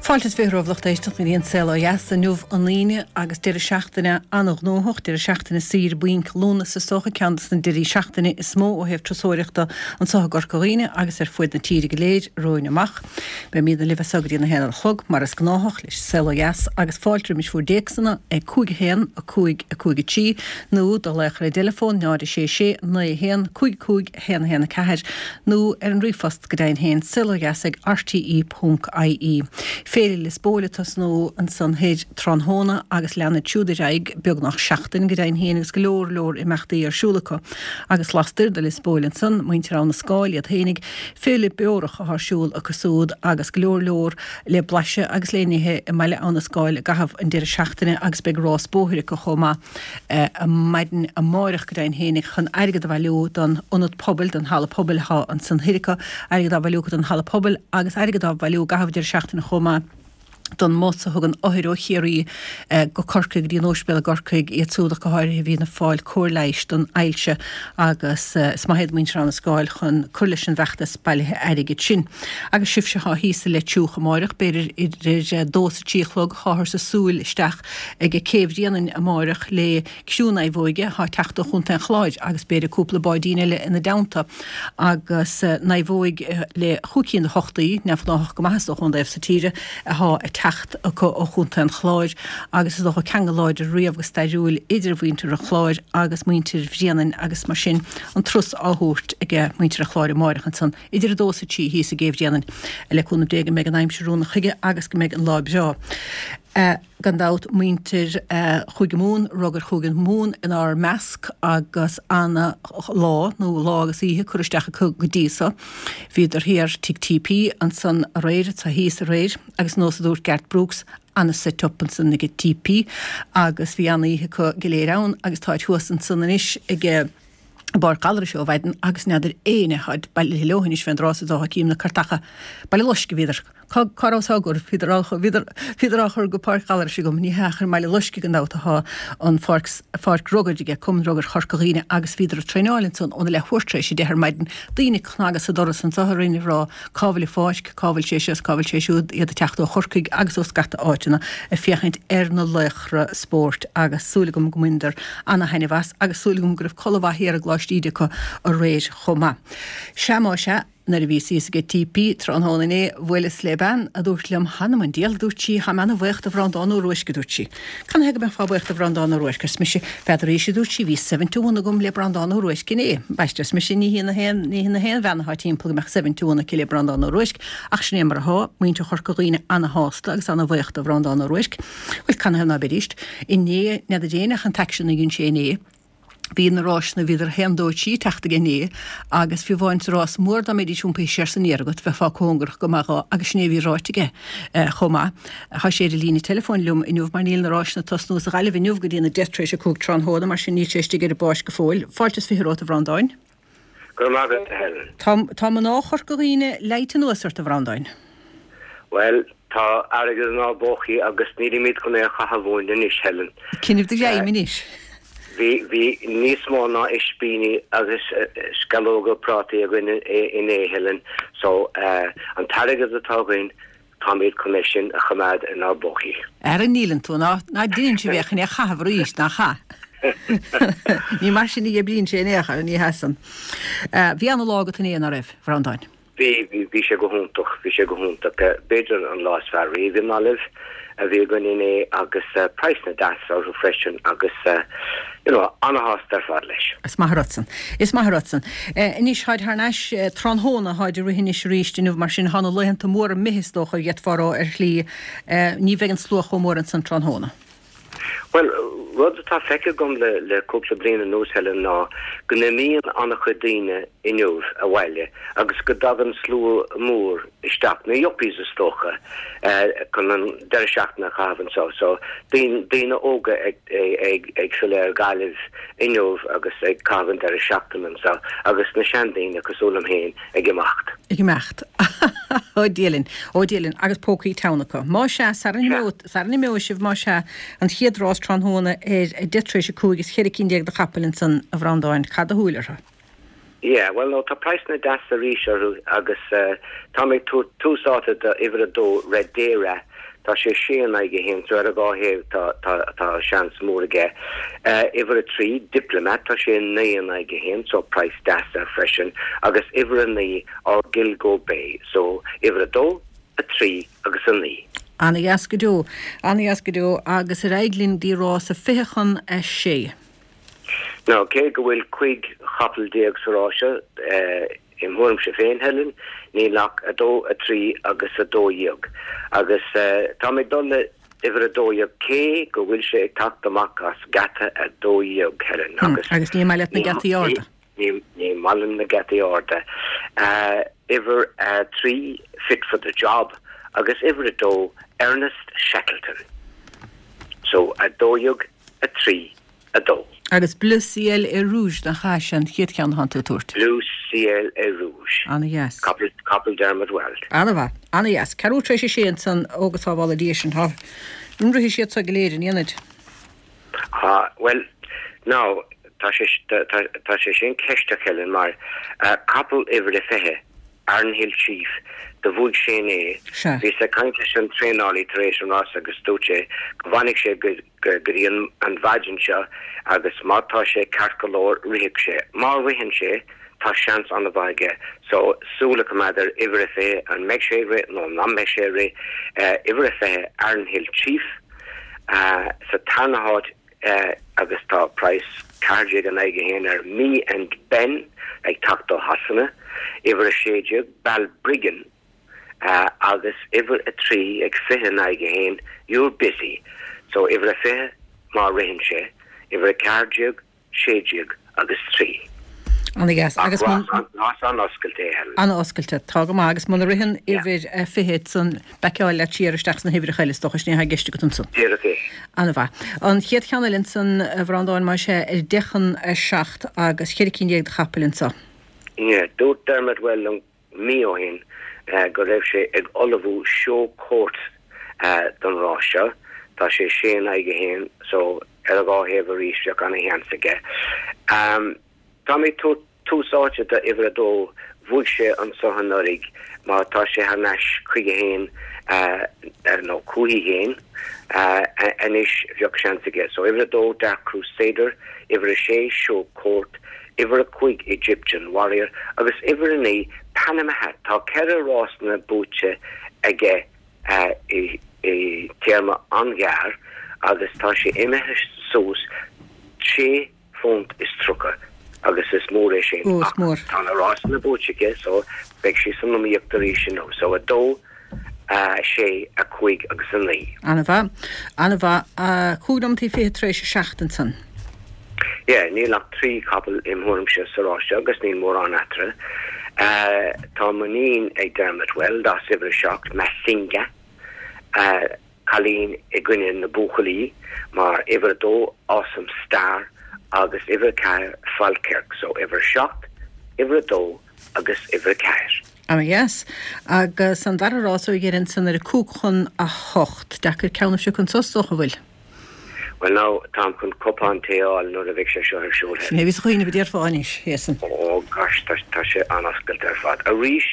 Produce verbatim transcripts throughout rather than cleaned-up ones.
Fáilte is fiche romhaibh lucht éisteachta go dtí an Saol Ó Dheas inniu an Aoine agus deireadh seachtaine an-ghnóthach, deireadh seachtaine saoire bainc Lúnasa is dócha, ceann de na deirí seachtaine is mó ó thaobh turasóireachta anseo i gCorca Dhuibhne agus ar fuaid na tíre go léir romhainn amach. Beimidne libh as seo go dtí a haon a chlog mar is gnáthach leis an Saol Ó Dheas agus fáilte roimis bhur dtéacsanna ag cúig a haon, a cúig, a cúig a trí nó do ghlaoch ar an dteileafón náid a sé sé, naoi a haon, cúig cúig, a haon a haon a ceathair nó ar an ríomhphost go deimhin féin, saolodheas ag rte ponc ie. Féile Lios Póil ag tosnú ansan thoir tráthnóna agus leanfaid siúd ar aghaidh beagnach seachtain go deimhin féin agus go leor leor imeachtaí ar siúl acu. Agus lastoir de Lios Póil ansan, muintir Abha na Scáil iad fhéinig, Féile Beorach atá ar siúl acu súd agus go leor leor le blaiseadh agus le n-ithe i mbaile Abha na Scáil i gcaitheamh an deireadh seachtaine agus beidh rás bóthair acu chomh maith maidin amáireach go deimhin féinig chun airgead a bhailiú don ionad pobail, don halla pobail atá ansan thoir acu, airgead á bhailiú acu don halla pobail agus airgead á bhailiú i gcaitheamh deireadh seachtaine chomh maith don mbus a thugann othair ó Chiarraí go Corcaigh go dtí an óispidéal i gCorcaigh, iad súd ach go háirithe a bhíonn ag fáil cóir leighis don ailse agus is maith iad muintir Abha na Scáil chun cur leis an bhfeachtas bailithe airgid sin. Agus sibhse atá thíos i Leitir Triúch amáireach, b'fhéidir idir a dó is a trí a chlog, táthar ag súil isteach ag Cé Bhréanainn amáireach le criú naomhóige atá ag teacht ó Chontae an Chláir agus b'fhéidir cúpla báidín eile ina dteannta agus naomhóig le chúig cinn de thochtaí, neamhghnáthach go maith is dócha ón dtaobh so tíre, atá ag teacht acu ó Chontae an Chláir agus is dócha ceangal láidir riamh go stairiúil idir mhuintir an Chláir agus muintir Bhréanainn agus mar sin an turas á thabhairt ag muintir an Chláir amáireach ansan idir a dó is a trí thíos i gCé Bhréanainn. Le cúnamh Dé go mbeidh an aimsir rúnda chuige agus go mbeidh an lá breá. Gan dabht, muintir Chúige Mumhan, Rugair Chúige Mumhan inár measc agus ana lá, nó lá agus oíche curtha isteach acu go dtí so. Bhíodar thiar tigh TP ansan aréir, atá thíos aréir, agus nós a dúirt Garth Brooks, ana set up ansan ag TP agus bhí ana oíche acu go léir ann agus táid thuas ansan anois ag i bPáirc Ghallarais ó mhaidin agus n'fheadar éinne atáid bailithe leo anois fén dtráth so is dócha cím na cairteacha Baile Loiscthe bhíodar cá cá rabhas á gcur bhíodar á bhíodar bhíodar á chur go Páirc Ghallarais agam ní hea ach i mBaile Loiscthe gan dabht atá an pháirc pháirc rugair aige Cumann Rugair Chorca Dhuibhne agus bhíodar ag traenáil ansan óna leathuair tar éis a deich ar maidin daoine ag cnagadh sa doras anso orainn ag rá cá bhfuil an pháirc cá bhfuil sé seo is cá bhfuil sé siúd iad ag teacht ó Chorcaigh agus ó scata áiteanna ag féachaint ar na laochra spóirt agus súil agam go mbaineadar ana-thaitneamh as agus súil agam go raibh codladh mhaith thiar i gColáiste Íde acu aréir chomh maith. Sea má sea, nuair a bhíos thíos ag TP tráthnóna inné, bhuaileas le bean a dúirt liom, Th'anam 'on diabhal, a dúirt sí, tháim ana-bhaoch do Bhreandán Ó Ruaisc, a dúirt sí. Canathaobh go mbeifeá buíoch do Bhreandán Ó Ruaisc, arsa mise. N'fheadaraís, a dúirt sí, bhí seven to one agam le Breandán Ó Ruaisc inné. Ambaiste, arsa mise, ní hí na haon, ní hí na haon bhean atá timpeall go mbeadh seven to one aici le Breandán Ó Ruaisc, ach sin é mar atá, muintir Chorca Dhuibhne ana-shásta agus ana-bhaoch do Bhreandán Ó Ruaisc. Bhuel, canathaobh ná beidíst? Inné, n'fheadar éinne ach an t-aicsean a dhein sé inné. Bhí na ráiseanna, bhíodar a haon, dó, trí ag teacht aige inné agus fiú amháin sa rás mór dá mbeidís iompaithe siar is aniar agat, bheifeá cóngarach go maith dhó agus sin é a bhí ráite aige chomh maith. Tá sé ar an líne teileafóin liom inniu mar níl na ráiseanna ag tosnú sa Ghaillimh inniu go dtí na deich tar éis a cúig tráthnóna mar sin níl sé istigh ar an bpáirc go fóill. Fáilte is fiche romhat a Bhreandáin. Go raibh maith agat, a Helen. Tá, tá mná Chorca Dhuibhne leáite anuas ort, a Bhreandáin. Bhuel, tá airgead inár bpócaí agus nílimid chun é a chaitheamh uainn anois, Helen. Coinnigh do ghreim anois. Bhí, bhí níos mó ná ispíní agus sceallóga prátaí againn inné, Helen, so an t-airgead atá againn, Táimid chun é sin a choimeád inár bpócaí. Ara níleann tú, ná ná deineann sibh é chun é a chaitheamh arís, nach ea? Ní mar sin a oibríonn sé in aon chor, ní hea san. Bhí ana-lá agat inné, ná raibh, a Bhreandáin? Bhí, bhí, bhí sé go hiontach, bhí sé go hiontach. B'fhéidir an lá is fearr riamh i nGaillimh a bhí againn inné agus praghsanna deasa orthu freisin agus you know, ana-shásta ar fad leis. Is maith an rud san. Is maith an rud san. Anois, tháid thar n-ais tráthnóna, tháid ag rith anois arís inniu, mar sin thá na laethanta móra imithe is dócha, d'fhéadfá a rá ar shlí. Ní bheidh an slua chomh mór ansan tráthnóna. Bhuel, rud atá feicthe agam le le cúpla bliain anuas, Helen, ná go n-imíonn an-chuid daoine inniu abhaile agus go dtagann slua mór isteach, na yuppies is dócha, chun an deireadh seachtaine a chaitheamh anseo. So, daoine óga ag ag filleadh ar Ghaillimh inniu agus ag caitheamh an deireadh seachtaine anseo agus na seandaoine cosúil liom féin ag imeacht. Ag imeacht. Ó Dia linn. Ó Dia linn. Agus pócaí teann acu. Má sea, sara n-imeoidh sibh, má sea, an chéad rás tráthnóna ar a deich tar éis a cúig is cheithre cinn déag de chapaill ansan, a Bhreandáin, caith do shúil orthu. Yeah, bhuel no, tá praghsanna deasa arís orthu agus táim ag tabhairt tús áite do uimhir a dó, Red Dayra. Tá sé sé in aghaidh a haon, so ar a dhá thaobh tá tá tá seans mór aige. Uimhir a trí, Diplomat, tá sé naoi in aghaidh a haon, so praghas deas air freisin, agus uimhir a naoi, Gilgo Bay, so uimhir a dó, a trí agus a naoi. Ana-dheas go deo. Ana-dheas go deo agus ar aghaidh linn dtí rás a fiche chun a sé. Now, cé go bhfuil cúig chapall déag sa rás seo, im thuairimse féin, Helen, níl ach a dó, a trí agus a dó dhéag. Agus tá mé ag dul le uimhir a dó dhéag cé go bhfuil sé ag teacht amach as geata a dó dhéag, Helen, agus. Agus ní maith leat na geataí arda. Ní ní maith liom na geataí arda. Uimhir a trí, Fit for the Job, agus uimhir a dó, Ernest Shackleton. So, a dó dhéag, a trí, a dó. Agus Bleu Ciel et Rouge nach ea sin an chéad cheann atánn tú ag tabhairt? Bleu Ciel et Rouge. Ana-dheas. Capall, capall Dermot Weld. Ana-mhaith. Ana-dheas. Ceathrú tar éis a sé ansan, ó go sábhála Dia sinn. Tá, an rithfidh siad so go léir, an ndéanfaid? Ah, bhuel, now, tá sé, tá, tá sé sin ceisteach, Helen, mar capall uimhir a fiche, Arnhill Chief, do bhuaigh sé inné. Sea. Bhíos ag caint leis an traenálaí tar éis an rása agus dúirt sé go bhfanfaidh sé go dtí an mhaidin seo agus má tá sé ceart go leor rithfidh sé. Má ritheann sé, tá seans an-mhaith aige. So, súil a choimeád ar uimhir a fiche, an mbeidh sé ag rith nó nach mbeidh sé ag rith. Uimhir a fiche, Arnhill Chief, sa tarna háit agus tá praghas ceathair déag in aghaidh a haon ar Me and Ben ag teacht ó Shasana, uimhir a sé déag, Balbriggan, agus uimhir a trí ag fiche in aghaidh a haon, You're Busy. So uimhir a fiche má ritheann sé, uimhir a ceathair déag, sé déag agus trí. Ana-dheas. Agus Ach rás an-oscailte é, Helen. An-oscailte. Tá go maith. Agus muna ritheann uimhir a fiche ansan, baiceáil leat siar isteach sna huimhreacha eile, is dócha, sin é atá i gceist agat ansan. Díreach é. Ana-mhaith. An chéad cheann eile ansan, a Bhreandáin, más ea, ar deich chun a seacht agus cheithre cinn déag de chapaill anso. Yeah. Dúirt Dermot Weld liom mí ó shin go raibh sé ag ullmhú Show Court don rás seo. Tá sé sé in aghaidh a haon so ar a dhá thaobh arís bheadh ana-sheans aige. Tá mé ag tabhairt tús áite do uimhir a dó, bhuaigh sé anso anuraidh, má tá sé thar n-ais chuige féin nó chúithi féin anois bheadh seans aige. So uimhir a dó Dark Crusader, uimhir a sé Show Court, uimhir a cúig Egyptian Warrior agus uimhir a naoi Panama Hat. Tá ceithre rásanna buaite aige i téarma an-ghearr agus tá sé imithe suas sé phunt is tríocha agus is mór é sin. Ó, is mór. Tá na rásanna buaite aige so beidh sé san iomaíocht arís inniu. So a dó, a sé, a cúig agus a naoi. Ana-mhaith. Ana-mhaith. Cúig nóimeataí fiche tar éis a seacht ansan. Yeah, níl ach trí chapall im thuairimse sa rás seo agus níl mórán eatarthu. Tá muinín ag Dermot Weld as uimhir a seacht, Masinga. Cailín i gcoinne na buachaillí mar uimhir a dó, Awesome Star, agus uimhir a ceathair, Falkirk. So uimhir a seacht, uimhir a dó agus uimhir a ceathair. Ana-dheas. Agus an dara rás ó dheireadh ansan ar a cúig chun a hocht. Deacair ceann a phiocadh anso is dócha, an bhfuil? Bhuel now, táim chun cupán tae a fháil nuair a bheidh sé seo ar siúl. Sin é a bhíos ag cuimhneamh a déarfá anois, Jason. Oh gosh, tá tá sé an-oscailte ar fad. Arís,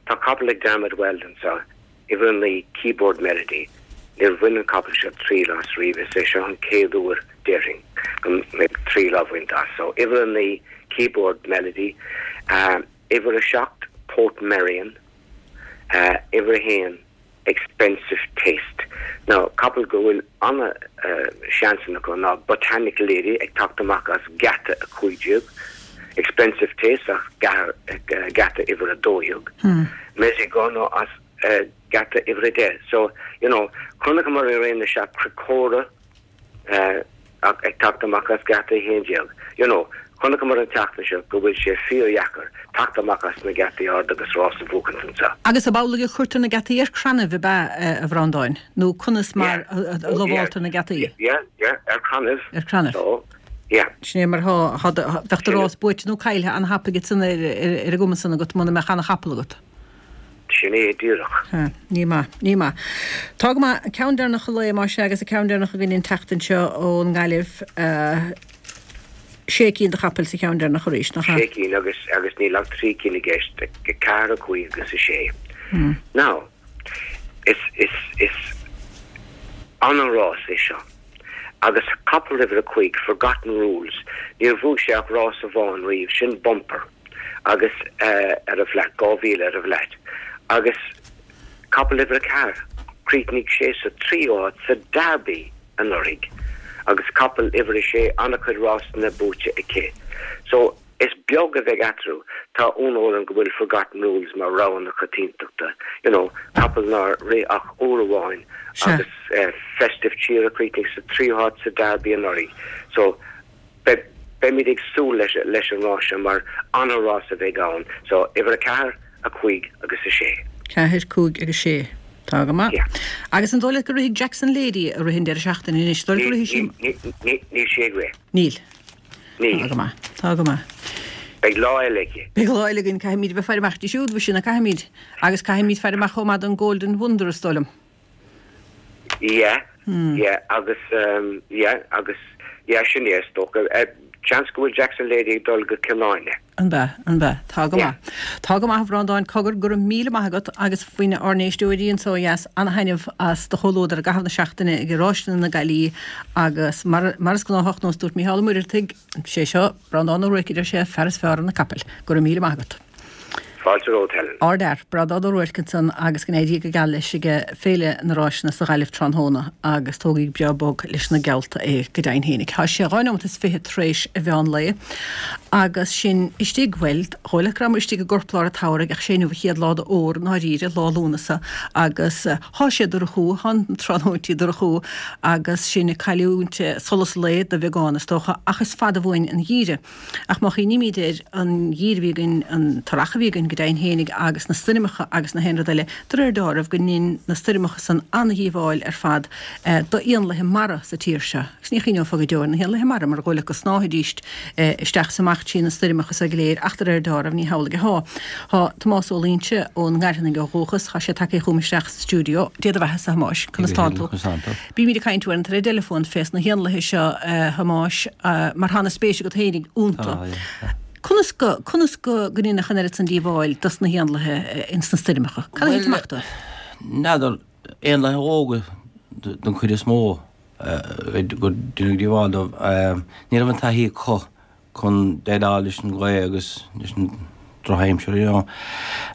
tá capall ag Dermot Weld anseo. Uimhir a naoi, Keyboard Melody. Níor bhain an capall seo triail as riamh, is é seo an chéad uair, déarfainn, go mbeidh triail á bhaint as. So, uimhir a naoi, Keyboard Melody. Uimhir a seacht, Portmeirion. Uimhir a haon, Expensive Taste. Now, capall go bhfuil ana-sheansanna acu ná Botanic Lady ag teacht amach as geata a cúig déag, Expensive Taste as geata uimhir a dó dhéag, Mezigano as geata uimhir a deich. So, you know, chonaiceamar i rith na seachtaine Crecora ag teacht amach as geata a haon déag. You know, chonaiceamar an tseachtain seo go bhfuil sé fíordheacair teacht amach as na geataí arda agus rás a bhuachaint anseo. Agus ab amhlaidh a chuirtear na geataí ar crannaibh, ab ea, a Bhreandáin? Nó conas mar a lamháltar na geataí? Yeah, yeah, ar crannaibh. Ar crannaibh. So, yeah. Sin é mar atá, bheadh do rás buaite nó caillthe an-thapaidh ansan ar an gcuma san agat muna mbeadh ana-chapall agat. Sin é díreach. Sea, ní maith, ní maith. Tá go maith. An ceann deireanach an lae, más ea, agus an ceann deireanach againn an tseachtain seo ón nGaillimh, sé cinn de chapaill sa cheann deireanach arís, nach ea? Sé cinn agus, agus níl ach trí cinn i gceist, a ceathair, a cúig agus a sé. Now, is, is, is An-rás é seo. Agus capall uimhir a cúig, Forgotten Rules, níor bhuaigh sé ach rás amháin riamh, sin bumper, agus ar an bhflat, dhá mhíle ar an bhflat. Agus capall uimhir a ceathair, chríochnaigh sé sa tríú háit sa Derby anuraidh. Agus capall uimhir a sé, an-chuid rásanna buaite aici. So, is beag a bheidh eatarthu. Tá ionadh orm go bhfuil Forgotten Rules mar rogha na coitiantachta. You know, capall nár rith ach uair amháin agus Festive Cheer a chríochnaigh sa tríú háit sa Derby anuraidh. So, beimid ag súil leis leis an rás seo mar an-rás a bheidh ann. So, uimhir a ceathair, a cúig agus a sé. Ceathair, cúig agus sé. Tá go maith. Agus an dóigh leat go rithfidh Jackson Lady a rith an deireadh seachtaine anois? Dóigh leat go rithfidh sí? Níl sí ag rith. Níl. Níl. Tá go maith. Tá go maith. Beidh lá eile aici. Beidh lá eile againn. Caithfimid a bheith ag faire amach di siúd, mhuise, nach gcaithfimid? Agus caithfimid faire amach chomh maith don Golden Wonder, is dóigh liom. Yeah, yeah, agus, yeah, agus, yeah, sin é, is dócha. Seans go bhfuil Jackson Lady ag dul go Cill Airne. An b'ea? An b'ea? Tá go maith. Tá go maith, a Bhreandáin. Cogar, go raibh míle maith agat agus faoi ár n-éisteoirí anso ó dheas ana-thaitneamh as do chomhluadar i gcaitheamh na seachtaine ag Ráiseanna na Gaillimhe agus mar, mar is gnáthach nós dúirt Mícheál Ó Muircheartaigh, sé seo Breandán Ó Ruairc a deir sé, fear is fearr ar na capaill. Go raibh míle maith agat. Fáilte romhat, Helen. Ardfhear, Breandán Ó Ruairc ansan agus go n-éirí Dia go geal leis ag Féile na Ráiseanna sa Ghaillimh tráthnóna agus tógaigí breá bog leis na geallta é go deimhin fhéinig. Tá sé dhá neomat is fiche tar éis a mheán lae agus sinn istigh, bhuel, dhóigh leat go rabhamar istigh i gcorplár an tsamhraidh ach sé inniu an chéad lá d'fhómhar i ndáiríre, lá Lúnasa agus thá sé dorchú, thá na tráthnóintí dorchú agus sinn ag cailliúint solas lae de bheagán is dócha ach is fada uainn an geimhreadh. Ach má chuimhnímid ar an gheimhreadh a bhí againn, an t-earrach a bhí againn go deimhin fhéinig agus na stoirmeacha agus na haon rud eile, de réir dealraimh go ndein na stoirmeacha san an-dhíobháil ar fad d'éanlaithe mara sa tír seo. Agus ní chuimhneofá go deo ar na héanlaithe mara mar dhóigh leat go snámhfaidíst isteach is amach trí na stoirmeacha so go léir ach de réir dealraimh ní hamhlaidh athá. Tá Tomás Ó Loingsigh ón nGairfeanaigh ó dhúchas, tá sé tagtha chugam isteach sa stiúideo. Dia do bheatha-sa, a Thomáis. Conas tánn tú? Bímid ag caint uaireanta ar an dteileafón fés na héanlaithe seo, a Thomáis, mar tá ana-spéis agat fhéinig iontu. Conas go, conas go, go ndéanfadh an oiread san díobháil dos na héanlaithe ins na stoirmeacha? Cad a thit amach dóibh? N'fheadar, éanlaithe óga don chuid is mó gur deineadh díobháil dóibh. Ní raibh an taithí acu chun déileáil leis an ghaoth agus leis an drochaimsir, you know.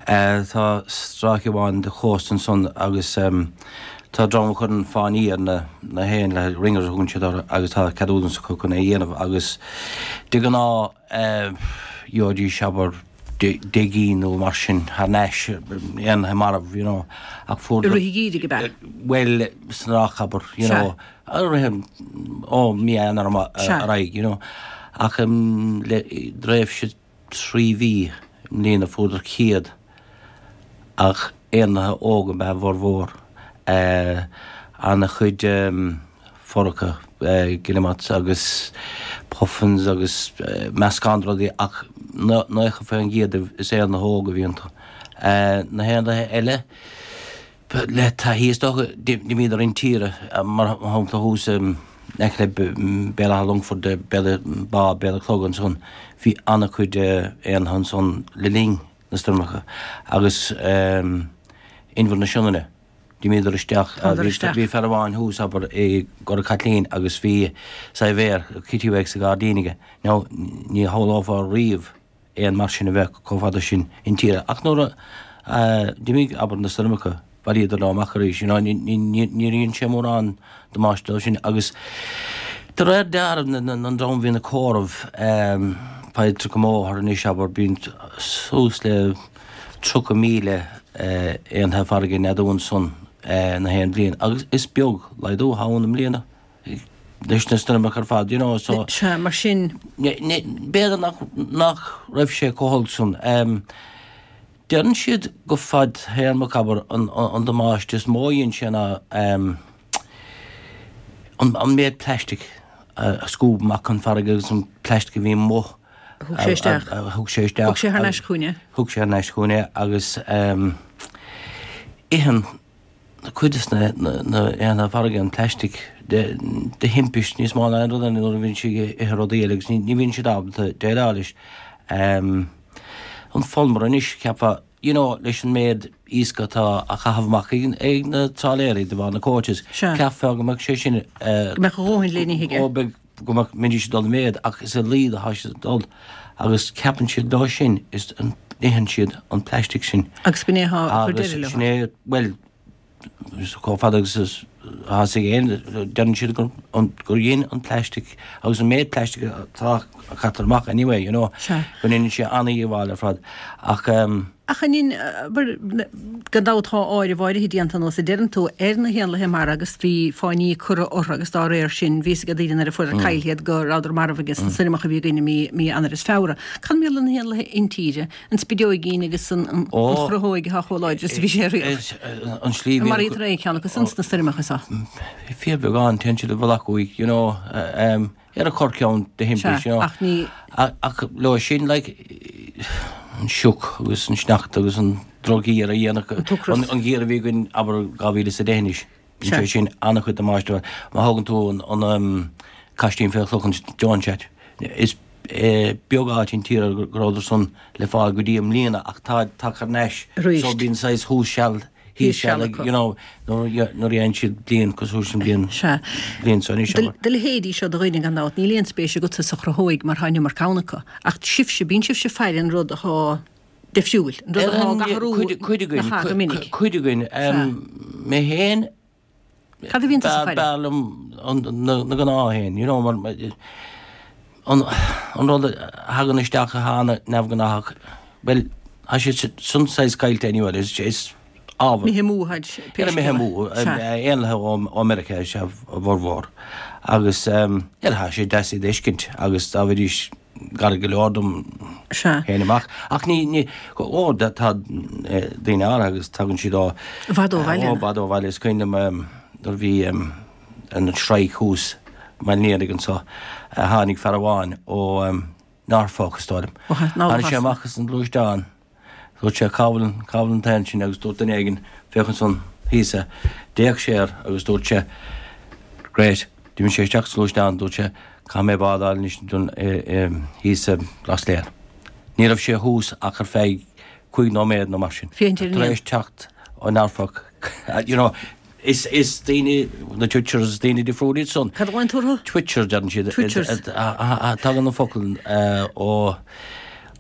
Tá stráice amháin de chósta ansan agus tá dream a chuireann fáinní ar na na héanlaithe, ringers a thugann siad orthu, agus tá ceadúnas acu chun é a dhéanamh agus de ghnáth gheobhaidís abair deich gcinn nó mar sin thar n-ais, éanlaithe marbh, you know, ach fuair I rith an gheimhridh ab ea? Bhuel, san earrach abair, you know, i rith an, ó mí Eanáir ar aghaidh, you know. Ach le tréimhse trí mhí i mbliana fuaireadar céad ach éanlaithe óga ab ea a bhformhór. An-chuid forca, guillemots agus puffins agus meascán de rudaí ach naocha faoin gcéad is éanlaithe óga a bhí iontu. Na héanlaithe eile, Le taithí is dócha, d'imíodar intíre, mar shampla thuas in aice le Béal Átha Longfoirt, Béal Bá, Béal an Chlog ansan, bhí an-chuid éanlaithe ansan le linn na stoirmeacha agus Inbhear na Sionainne, d'imíodar isteach, bhí fear amháin thuas, abair, i gCora Caitlín agus bhí saidhbhéar, kittiwake sa ghairdín aige. Now, ní shamhlófá riamh éan mar sin a bheith chomh fada sin intíre. Ach nuair a d'imigh, abair, na stoirmeacha, bhailíodar leo amach arís, you know, níor dhein sé mórán damáiste dóibh sin. Agus de réir dealraimh, an dream a bhíonn ag comhaireamh, faightear go mbóthar anois, abair, bíonn suas le tríocha míle éanlaithe farraige ag neadú ansan na haon bhliain. Agus is beag laghdú atá ann i mbliana. leis na stoirmeacha ar fad, you know, so. Sea, mar sin. B'fhéidir nach, nach raibh sé chomh holc san. Deireann siad go fadtéarmach, abair, an, an damáiste is mó a dhein sé ná an, an méid plastic a scuab amach chun farraige agus an plastic a bhí amuigh a thug sé isteach. A thug sé isteach. Thug sé thar n-ais chugainn é. Thug sé thar n-ais chugainn é agus itheann cuid de na éanlaithe farraige an plastic de thimpist níos mó ná aon rud eile nuair a bhíonn siad ag ithe rudaí eile agus ní bhíonn siad ábalta déileáil leis. An fulmar anois, cheapfá you know, leis an méid iasc atá á chaitheamh amach ag na trálaeirí de bharr na quotas, cheapfá go mbeadh sé sin Go mbeadh a dhóthain le n-ithe aige. Ó, beidh, go mbeadh, mbeidís ag dul i méad ach is i laghad atá siad ag dul agus ceapann siad leo sin is itheann siad an plastic sin. Agus b'in é atá ag cur deireadh leo. Agus sin é, bhuel, chomh fada agus is atá fhios ag éinne, deireann siad gur gur dhein an plastic agus an méid plastic atá a chaitear amach anyway, you know, go ndéanann sé an-dhíobháil ar fad. Ach ehm. Ach an gan dabht tá áireamh áirithe déanta nós a deireann tú ar na héanlaithe mara agus bhí fáinní curtha orthu agus dá réir sin bhí fhios ag daoine nuair a fuaireadar caillte iad go rabhadar marbh agus na stoirmeacha a bhí againn i mí mí Eanáir is Feabhra. Cad mar gheall ar na héanlaithe intíre, an spideoigín agus an chruthóig atá chomh láidir is a bhí sé riamh? An slí An maraítear aon cheann acu san sna stoirmeacha seo? Fíorbheagán, téann siad i bhfolach uaidh, you know. Ar a corrcheann de thimpist, you know. Ach ní. Ach leo sin, like, an sioc agus an sneachta agus an drochgheimhreadh a dhéanadh, An t-ocras. An geimhreadh a bhí againn, abair, dhá mhíle is a deich anois. Sea. Sé sin an-chuid damáiste. Má thógann tú an, an caistín fé chloch, an stone chat, is beag áit an tír go rabhadar san le fáil go dtí i mbliana ach tá tagtha thar n-ais. Arís. So bíonn saghas thuas seal thíos seal ag, you know, nuair a dhéanann siad bliain cosúil leis an bhliain, Sea. bhliain seo anois, abair. Do leithéidí seo de dhaoine gan dabht, níl aon spéis agatsa sa chruthóig mar tá an iomarca ann acu. Ach sibhse, bíonn sibhse ag faire an rud atá difriúil, an rud atá ag athrú Cuid againn, nach ea go minic. cuid againn. Sea. Mé féin, Cad a bhíonn tusa ag faire? B'fhearr liom na gnáthéin, you know, mar an an rud a thagann isteach atá an-neamhghnáthach, bhuel, tá siad san saghas caillte anyway, is is ábhar. Imithe amú atá pé Imithe scéal amú, é. Sea. éanlaithe ó Meiriceá is ea a bhformhór agus yeah, tá sé deas iad a fheiscint agus dá mbeidís gar go leor dom Sea. théinn amach. Ach ní, ní, ó, tá daoine áirithe agus tagann siad ó, I bhfad ó bhaile. ó, i bhfad ó bhaile. Is cuimhin liom nuair a bhí an strike thuas i mBaile an Fhianaigh anso, tháinig fear amháin ó Norfolk, is dóigh liom. Ó, Tháinig sé amach as an gluaisteán. Dúirt sé, Cá bhfuil, cá bhfuil an t-éan sin? Agus dúirt duine éigin, Féach ansan thíos é. D'fhéach sé air agus dúirt sé, Great. D'imigh sé isteach sa ghluaisteán, dúirt sé, Caithfidh mé bád a fháil anois don, thíos i Rosslare. Ní raibh sé thuas ach ar feadh cúig nóiméad nó mar sin. Féachaint ar an Tar éan. éis teacht ó Norfolk, you know, is, is daoine, na twitchers, is daoine difriúil iad san. Cad a ghlaonn tú orthu? Twitchers, deireann siad. Twitchers. Tagann an focal ó,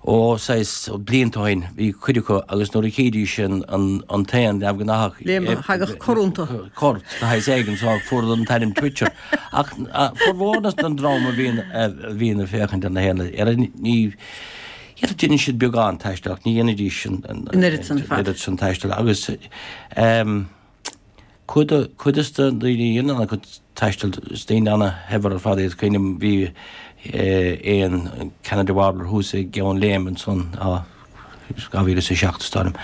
ó saghas blianta ó shin, bhí cuid acu agus nuair a chídís an t-éan neamhghnáthach, Léim, thagadh cor iontu. Cor, de shaghas éigin, so fuaireadar an t-ainm twitcher. Ach formhór den dream a bhíonn, a bhíonn ag féachaint ar na héanlaithe, ní, déanann siad beagán taistil ach ní dhéanfaidís an An oiread san fad. oiread san taistil agus Cuid cuid de na daoine a dhéanann an-chuid taistil, is daoine ana-shaibhir ar fad iad. Cuimhním bhí éan Canada Warbler thuas i gCeann Léime ansan, á, dhá mhíle is a seacht is dóigh liom.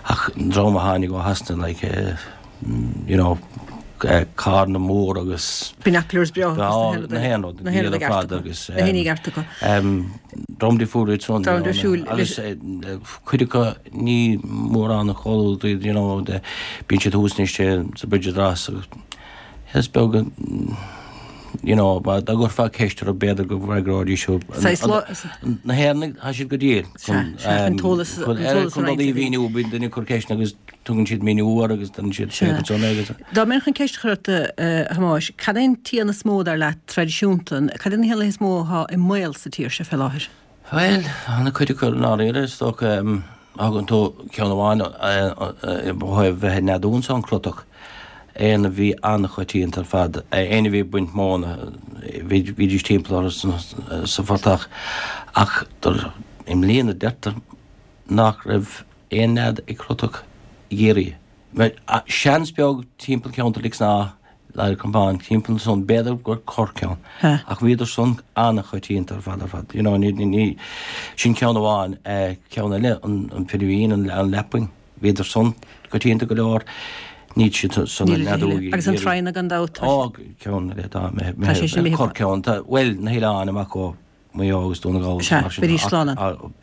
Ach an dream a tháinig ó Shasana like, you know, carranna móra agus. Binoculars breá agus na haon rud, na haon rud ar fad agus. Na haon ní ceart acu. Dream difriúil iad san. Dream difriúil. Agus cuid acu ní mórán an comhluadar iad, you know, bíonn siad thuas anois sa Bridge of Ross agus is beag an, you know, dá gcuirfeá ceist orthu b'fhéidir go bhfreagróidís thú. Na hÉireannaigh, tá siad go diail chun an t-eolas a roinnt. Chun rudaí a mhíniú, bíonn duine ag cur ceisteanna agus tugann siad míniú air agus déanann siad Sea. ansan agus. Dá mbeinn chun ceist a chur ort, a Thomáis, cad é an t-éan is mó, dar leat, traidisiúnta, cad é na héanlaithe is mó atá i mbaol sa tír seo fé láthair? Bhuel, ana-chuid acu i ndáiríre, is dócha. Thugann tú ceann amháin ó thaobh bheith ag neadú anso, an crotach, éan a bhí an-choitianta ar fad, éinne a bhí ag baint móna, bhídís timpeall orthu sa phortach. Ach i mbliana deirtear nach raibh aon nead ag crotach i gCiarraí. Seans beag timpeall ceantar Lic Snámha, Leitir Campáin, timpeall ansan, b'fhéidir gur corrcheann, ach bhíodar san an-choitianta ar fad ar fad. You know, ní, ní, sin ceann amháin. Ceann eile, an, an firiúín, an, an lapwing, bhíodar san coitianta go leor, níl siad san ag neadú i Agus an traona gan dabht, tá Ó, ceann eile, tá, tá sé sin imithe. Corrcheann, tá, bhuel, na hoileáin amach ó Maigh Eo agus Dún na nGall agus Sea, mar sin bheidís ach slán ann.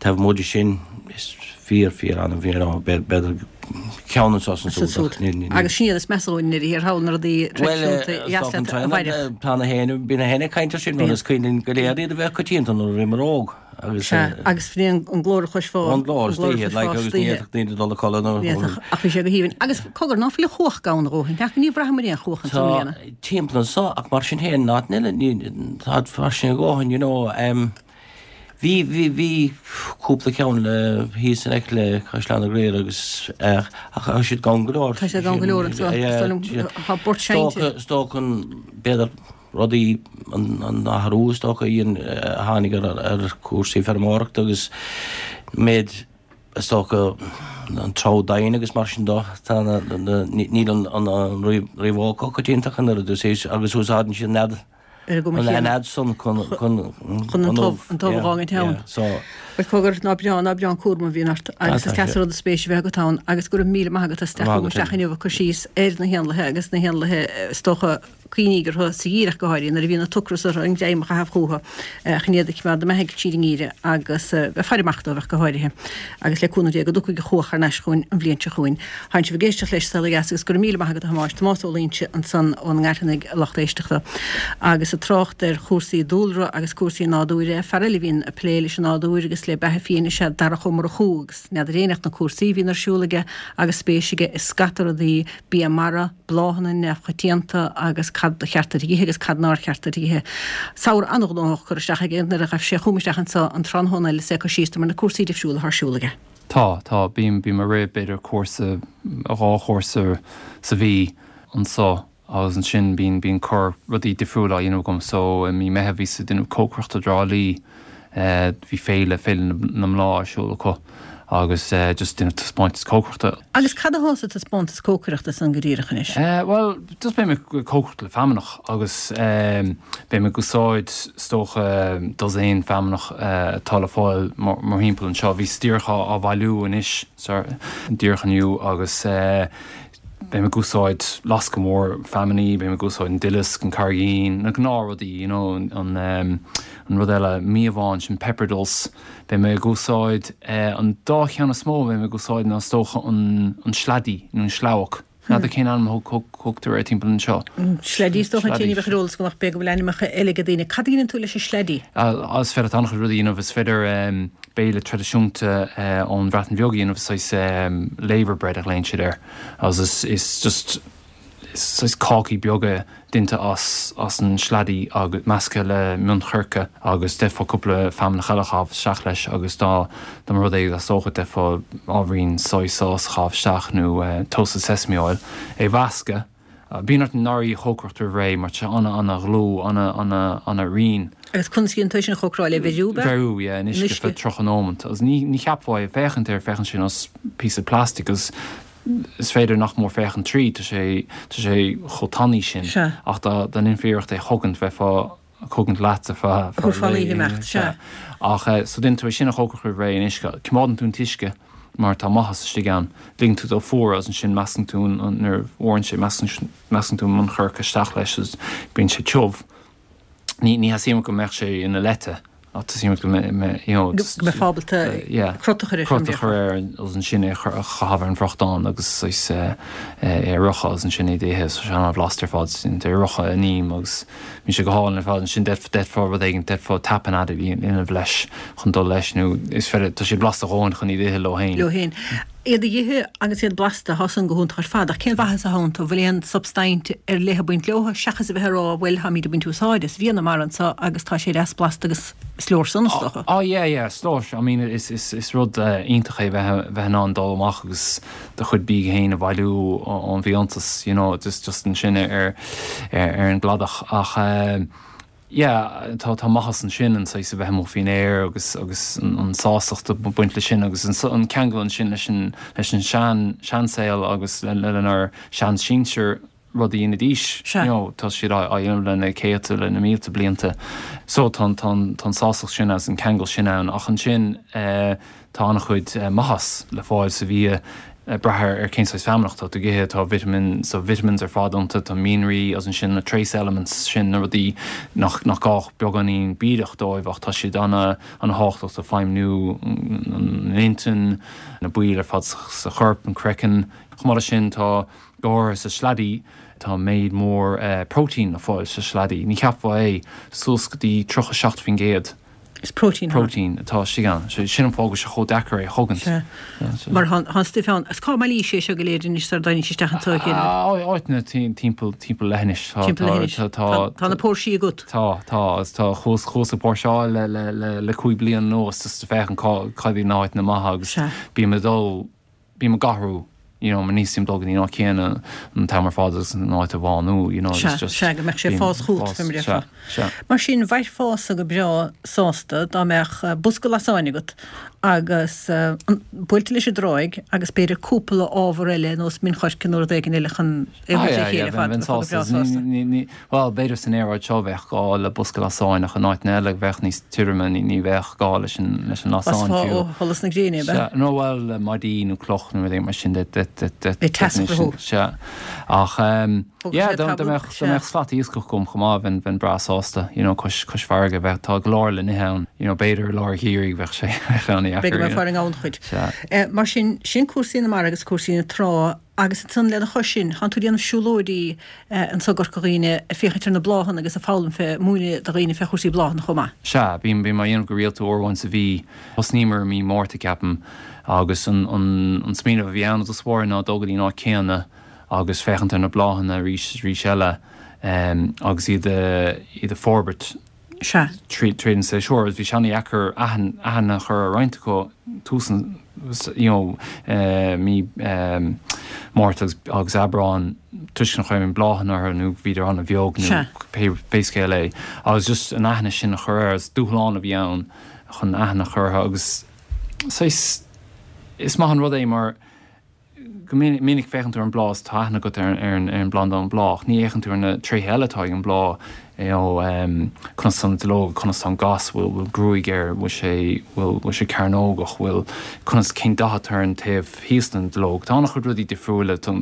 taobh amuigh de sin is fíor fíor annamh you know b'fhéidir ceann anso is Is ansúd ach ní ní Agus sin iad is measa dhúinn i ndeireadh thiar thall na rudaí Bhuel traidisiúnta is dheas dócha an leat a traona mhairfeadh. tá na héin bhí na héin ag caint ar sin mar Bíonn. is cuimhin linn go léir iad a bheith coitianta nuair a bhíomar óg agus Sea, agus bhí an an glór a chloisfeá. An glór istoíche, like, agus ní fhéadfadh daoine dul a chodladh nó. Ní fhéadfadh, ach bhí sé go haoibhinn. Agus cogar, ná fuil an chuach gann a dhóthain? Ach ní bhraithimid aon chuach anso i mbliana. Tá timpeall anso, ach mar sin féin, in áiteanna eile, ní, tá fairsing a dhóthain, you know. Um, bhí, bhí, bhí cúpla ceann le thíos in aice le Caisleán na Gael agus eh, ach tá siad gann go leor. Tá siad gann go leor anso. Yeah, Is dóigh liom, tá bort seinnte. Is dócha, is dócha an, b'fhéidir, rudaí an athrú is dócha a tháinig ar chúrsaí feirmeoireachta agus méid is dócha an treabhadh domhain agus mar sin de, tá na, níl an riabhóg chomh coitianta ach an oiread agus úsáideann siad an nead Ar an gcuma chéanna. An nead san chun chun an t-ubh an t-ubh a dh'fhágaint ann. So. Bhuel cogar, ná breá, ná breá an cúram a bhíonn ort agus is deas an rud an spéis a bheith agat ann agus go raibh míle maith agat as teacht chugam isteach inniu ag cur síos ar na héanlaithe agus na héanlaithe is dócha cuimhnigh orthu sa gheimhreadh go háirithe, nuair a bhíonn an t-ocras orthu an greim a chaitheamh chucu chun iad a choimeád ina mbeathaidh tríd an ngeimhreadh agus bheith ag faire amach dóibh ach go háirithe. Agus le cúnamh Dé go dtiocfaidh an chuach thar n-ais chugainn an bhliain seo chugainn. Tánn sibh ag éisteacht leis Saol Ó Dheas agus go raibh míle maith agat a Thomáis, Tomás Ó Loingsigh ansan ón nGairtheanaigh a lucht éisteachta. Agus ag trácht ar chúrsaí dúlra agus cúrsaí nádúir, fear eile a bhíonn ag plé leis an nádúr agus le beatha fiáin is ea Darach Ó Murchú agus n'fheadar éinne ach na cúrsaí a bhíonn ar siúl aige agus spéis aige i scata rudaí, bia mara, bláthanna neamhchoitianta agus cad ba cheart duit a ithe agus cad nár cheart duit a ithe. Samhradh an-ghnóthach curtha isteach aige nuair a ghaibh sé chugam isteach anso an tráthnóna eile is é ag cur síos dom ar na cúrsaí difriúla atá ar siúl aige. Tá, tá. Bím, bím ag rith b'fhéidir cúrsa, dhá chúrsa sa mhí anso agus ansin bíonn, bíonn corr rudaí difriúla á dhéanamh agam. So i mí Meitheamh bhíos ag déanamh cócaireachta i dTrá Lí. Bhí féile, Féile na mBláth ar siúl acu agus just déanamh taispeántas cócaireachta. Agus cad atá sa taispeántas cócaireachta san go díreach anois? Bhuel, just beidh mé ag cócaireacht le feamnach agus beidh mé ag úsáid is dócha dosaen feamnach atá le fáil mórthimpeall anseo. Bhíos díreach á bhailiú anois, díreach inniu agus Beidh mé ag úsáid lasca mór feamainní, beidh mé ag úsáid an duileasc, an carraigín, na gnáthrudaí, you know, an an rud eile, míobhán, sin pepper dulse. Beidh mé ag úsáid, an dá cheann is mó a bheidh mé ag úsáid ná is dócha an an sleaidí nó an sleabhac. N'fheadar cén ainm a thugtar air timpeall anseo. Sleaidí is dócha, ní bheadh ar eolas agam ach b'fhéidir go bhfuil ainmneacha eile ag daoine. Cad a dhéanann tú leis an sleaidí? Is féidir leat an-chuid rudaí a dhéanamh, is féidir béile traidisiúnta ón Bhreatain Bheag a dhéanamh, saghas laver bread a ghlaonn siad air agus is is just saghas cácaí beaga déanta as as an sleaidí agus measctha le mionchoirce agus d'fhéadfá cúpla feamnach eile a chaitheamh isteach leis agus dá dá mba rud é go dteastódh d'fhéadfá ábhairín soy sauce a chaitheamh isteach nó toasted sesame oil é a mheascadh. Bíonn ort an ngarraí a chócaireacht roimh ré mar tá sé ana ana dhlúth, ana ana ana righin. Agus conas a dhéanann tú é sin a chócaráil, é a bheiriú, ab ea? Bheiriú, yeah, in uisce feadh tríocha nóimeant. Agus ní ní cheapfá é, féachaint air, féachann sé ar nós píosa plastic agus is féidir nach mór féachaint tríd, tá sé tá sé chomh tanaí sin. Sea. Ach dá dá ndéanfaí iarracht é a chogaint, bheifeá ag cogaint leat ar feadh Thabharfá an oíche imeacht, sea. Ach so déanann tú é sin a chócaireacht roimh ré in uisce, coimeádann tú an t-uisce mar tá maitheas istigh ann. Ligeann tú dó fuarú agus ansin meascann tú an, nuair a fhuarann sé, meascann, meascann tú an mionchoirce isteach leis agus bíonn sé tiubh. Ní, ní theastaíonn uait go mbeadh sé ina leite ach teastaíonn uait go mbeadh, mbeadh, you know, Go mbeifeá ábalta yeah, crot a chur air, crot a chur air agus ansin é a chur, a chaitheamh ar an bhfriochtán agus saghas é a fhriochadh agus ansin é d'ithe. So sé an-bhlasta ar fad, é a fhriochadh in im agus bíonn sé go hálainn ar fad. Ansin d'fhéadfá rud éigin, d'fhéadfá tapenade a dhéanamh leis chun dul leis nó is féidir, tá siad blasta a dhóthain chun iad a ithe leo féin. Leo féin. Iad a ithe agus iad blasta, tá san go hiontach ar fad, ach cén mhaitheas atá iontu? Bhfuil aon substaint ar leith ag baint leo seachas a bheith ag rá bhuel táimid ag baint úsáid as bia na mara anseo agus tá sé deas blasta agus is leor san is dócha. Oh yeah yeah, is leor. I mean is is is rud iontach é bheith bheith in ann dul amach agus do chuid bídh féin a bhailiú ón bhfiántas, you know, just just ansin ar ar an gcladach ach yeah tá tá maitheas ansin an saghas a bheith amuigh faoin aer agus agus an sástacht ag baint leis sin agus an ceangal ansin leis an leis an sean seansaol agus lenár sean-sinsir rud a dhéanaidís, you know, tá siad á dhéanamh le na céadta, le na mílte blianta. So tá tá tá an sástacht sin agus an ceangal sin ann ach ansin tá an-chuid maitheas le fáil sa bhia ag brath ar cén saghas feamnach atá tú ag ithe, tá vitamin, so vitamins ar fad iontu, tá mianraí agus ansin na trace elements sin, na rudaí nach nach gá ach beagáinín bídeach dóibh ach tá siad ana ana thábhachtach do feidhmniú an intinn, na baill ar fad sa chorp, an craiceann. Chomh maith leis sin tá go háirithe sa sleaidí, tá méid mór próitéin le fáil sa sleaidí, ní cheapfá é, suas go dtí tríocha seacht faoin gcéad. Is próitéin Próitéin atá istigh ann. Sin an fáth go bhfuil sé chomh deacair é a chogaint. Mar tá an stuif ann. Is cá mbailís é seo go léir anois sar dtáinig sé isteach anseo a chéile? Áiteanna timpeall timpeall leithinis. Timpeall leithinis. Tá na póirsí agat? Tá, tá agus tá chuas chuas ag póirseáil le le le le cúig bliana anuas just ag féachaint cá cad iad na háiteanna maithe agus bím ag dul bím ag athrú you know, mar ní theastaíonn dul go dtí an áit chéanna an t-am ar fad agus an áit a bhánú, you know, Sea, just sea, go mbeadh sé ag fás chugat, fé mar a déarfá. Sea, sea. Mar sin, bheifeása go breá sásta dá mbeadh bosca lasáin agat agus buailte leis an dtráigh agus b'fhéidir cúpla ábhar eile ar nós min choirce nó rud éigin eile chun é a Ah, thabhairt le yeah, chéile yeah, ar fad, bheinn bheifeá go breá sásta. sásta. Ní, ní, bhuel, b'fhéidir san aeráid seo bheadh gá le bosca lasáin ach in áiteanna eile bheadh níos tirime, ní, ní bheadh gá leis an, leis an lasán Lasfá fiú. ó sholas na gréine, ab ea? Sea, nó bhuel, maidí nó cloch nó rud éigin mar sin de, de, de, de, Beidh teas de, orthu. Sea. Ach, um, Thógfadh yeah, sé dá, dá tamall, mbeadh, dá sea. mbeadh slat iascach agam chomh maith, bheinn, bheinn breá sásta, you know, cois, cois farraige, bheadh, tá go leor le n-ithe ann, you know, b'fhéidir i lár an gheimhridh bheadh sé, bheadh an-dheacair, B'fhéidir go you know. mbeifeá ar an ngannchuid. Sea. Eh, mar sin, sin cúrsaí na mara agus cúrsaí na trá agus ansan lena chois sin, tánn tú ag déanamh siúlóidí eh, anso i gCorca Dhuibhne ag féachaint ar na bláthanna agus ag foghlaim fé, múineadh do dhaoine fé chúrsaí bláthanna chomh maith. Sea, bím, bím á dhéanamh go rialta uair amháin sa mhí. Thosnaíomar i mí Márta, ceapaim, agus an, an, an smaoineamh a bhí ann i dtús báire ná dul go dtí an áit céanna agus féachaint ar na bláthanna arís is arís eile, um, agus iad a, iad a forbairt Sea. tríd tríd an séasúr. Bhí sé an-dheacair aithne aithne a chur ar roinnt acu tús an, you know, eh, mí um, Márta agus, agus Aibreán toisc nach raibh aon bláthanna orthu nó bhíodar an-bheag nó Sea. pé, pé scéal é. Agus just an aithne sin a chur air, is dúshlán a bhí ann chun aithne a chur orthu agus saghas, is maith an rud é mar go minic minic féachann tú ar an bláth is tá aithne agat ar ar an ar an bplanda an bláth, ach ní fhéachann tú ar na tréithe eile atá ag an bláth, you know, um, conas tá na duilleoga, conas tá an gas, bhfuil bhfuil gruaig air, bhfuil sé bhfuil bhfuil sé cearnógach, bhfuil conas cén dath atá ar an taobh thíos den duilleog. Tá an-chuid rudaí difriúla, tá,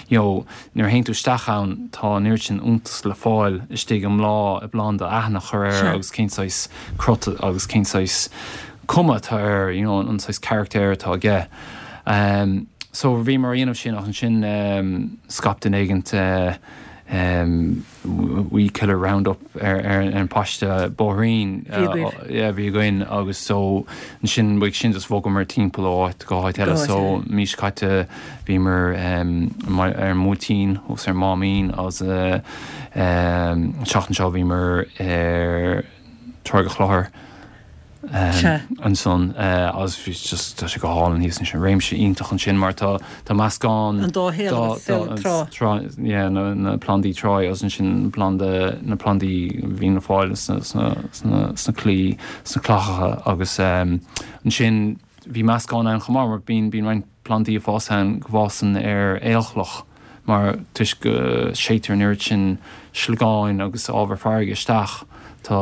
you know, nuair a théann tú isteach ann, tá an oiread sin iontas le fáil istigh i mbláth i bplanda aithne a chur air Sea. agus cén saghas crot agus cén saghas cuma atá air, you know, an saghas carachtar atá aige. Um, so bhíomar á dhéanamh sin ach ansin um, scaip duine éigint uh, um, weed killer roundup ar, ar, ar an paiste bóithrín Bhí agaibh. uh, yeah, bhí againn agus so ansin uaidh sin just bhogamar timpeall ó áit go háit eile Go háit so eile. mí seo caite bhíomar um, ar an mBuailtín agus ar Máimín agus uh, um, an tseachtain seo bhíomar ar Tráigh an Chlochair Um, Sea. ansan uh, agus bhí just tá sé go hálainn thíos ansin réimse iontach ansin mar tá tá meascán An dá thaobh agus saol trá. trá yeah, na, na plandaí trá agus ansin planda na plandaí a bhíonn le fáil sna, sna, sna, sna claí sna clochacha agus um, ansin bhí meascán ann chomh maith mar bíonn bíonn roinnt plandaí ag fás ann go bhfásann ar aolchloch mar toisc go séidtear an oiread sin sliogáin agus ábhar farraige isteach tá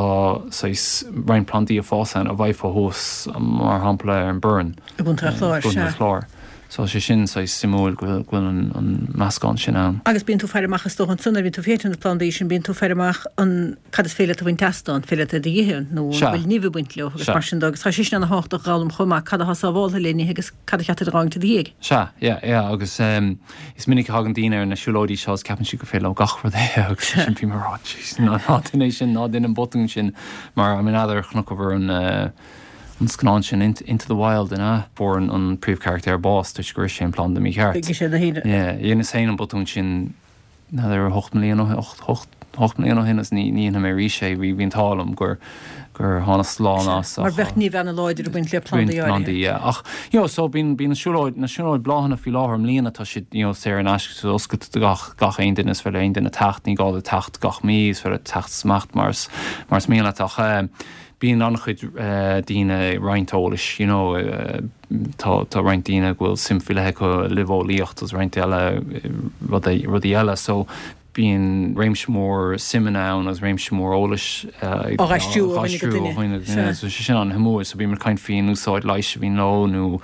saghas roinnt plandaí ag fás ann a bhfaighfeá thuas mar shampla ar an Boireann. I gContae an Chláir, gContae sea. an Chláir. So sé sin saghas suimiúil go bhfuil go bhfuil an, an meascán sin ann. Agus bíonn tú ag faire amach is dócha ansan, bíonn tú ag féachaint ar na plandaí sin, bíonn tú ag faire amach an cad is féidir leat a bhaint astu, an féidir leat iad a ithe nó an Sea. bhfuil nimh ag baint leo agus Sea. mar sin de agus tá sé sin ana-thábhachtach a fhoghlaim chomh maith cad atá sábháilte le n-ithe agus cad a cheart a fhágaint i do dhiaidh. Sea, yeah, yeah, agus um, is minic a thagann daoine ar na siúlóidí seo is ceapann siad gur féidir leo gach rud a ithe agus sin bím ag rá, "Jeez, ná ná déan é sin, ná déan an botún sin mar I mean n'fheadar chonaiceabhair an uh, an scannán sin Into, Into the Wild ina fuair an, an príomhcharachtar bás toisc gur ith sé an planda mícheart. Bhí sé na haoine. Yeah, dheineas féin an botún sin n'fheadar hocht mbliana ó hocht hocht hocht mbliana ó shin agus ní ní dhéanfaidh mé arís é bhí bhí an t-ádh liom gur gur tháinig slán as Mar bheadh nimh an-láidir ag baint le plandaí áirithe. plandaí, yeah. Ach you know, so bíonn bíonn na siúlóid na siúlóid bláthanna faoi láthair i mbliana tá siad you know, saor in aisce so oscailte do gach gach aon duine is féidir le aon duine teacht ní gá duit teacht gach mí is féidir teacht is imeacht mar is mar is mian leat ach eh, bíonn an-chuid eh, daoine ag roinnt eolais you know, eh, tá tá roinnt daoine go bhfuil suim faoi leith acu i luibheolaíocht agus roinnt eile eh, rudaí rudaí eile so bíonn réimse mór suimeanna ann agus réimse mór eolais Á aistriú ó dhuine go duine. duine. So sé sin an-shuimiúil, so bíonn caint faoin úsáid leighis a bhíonn leo nó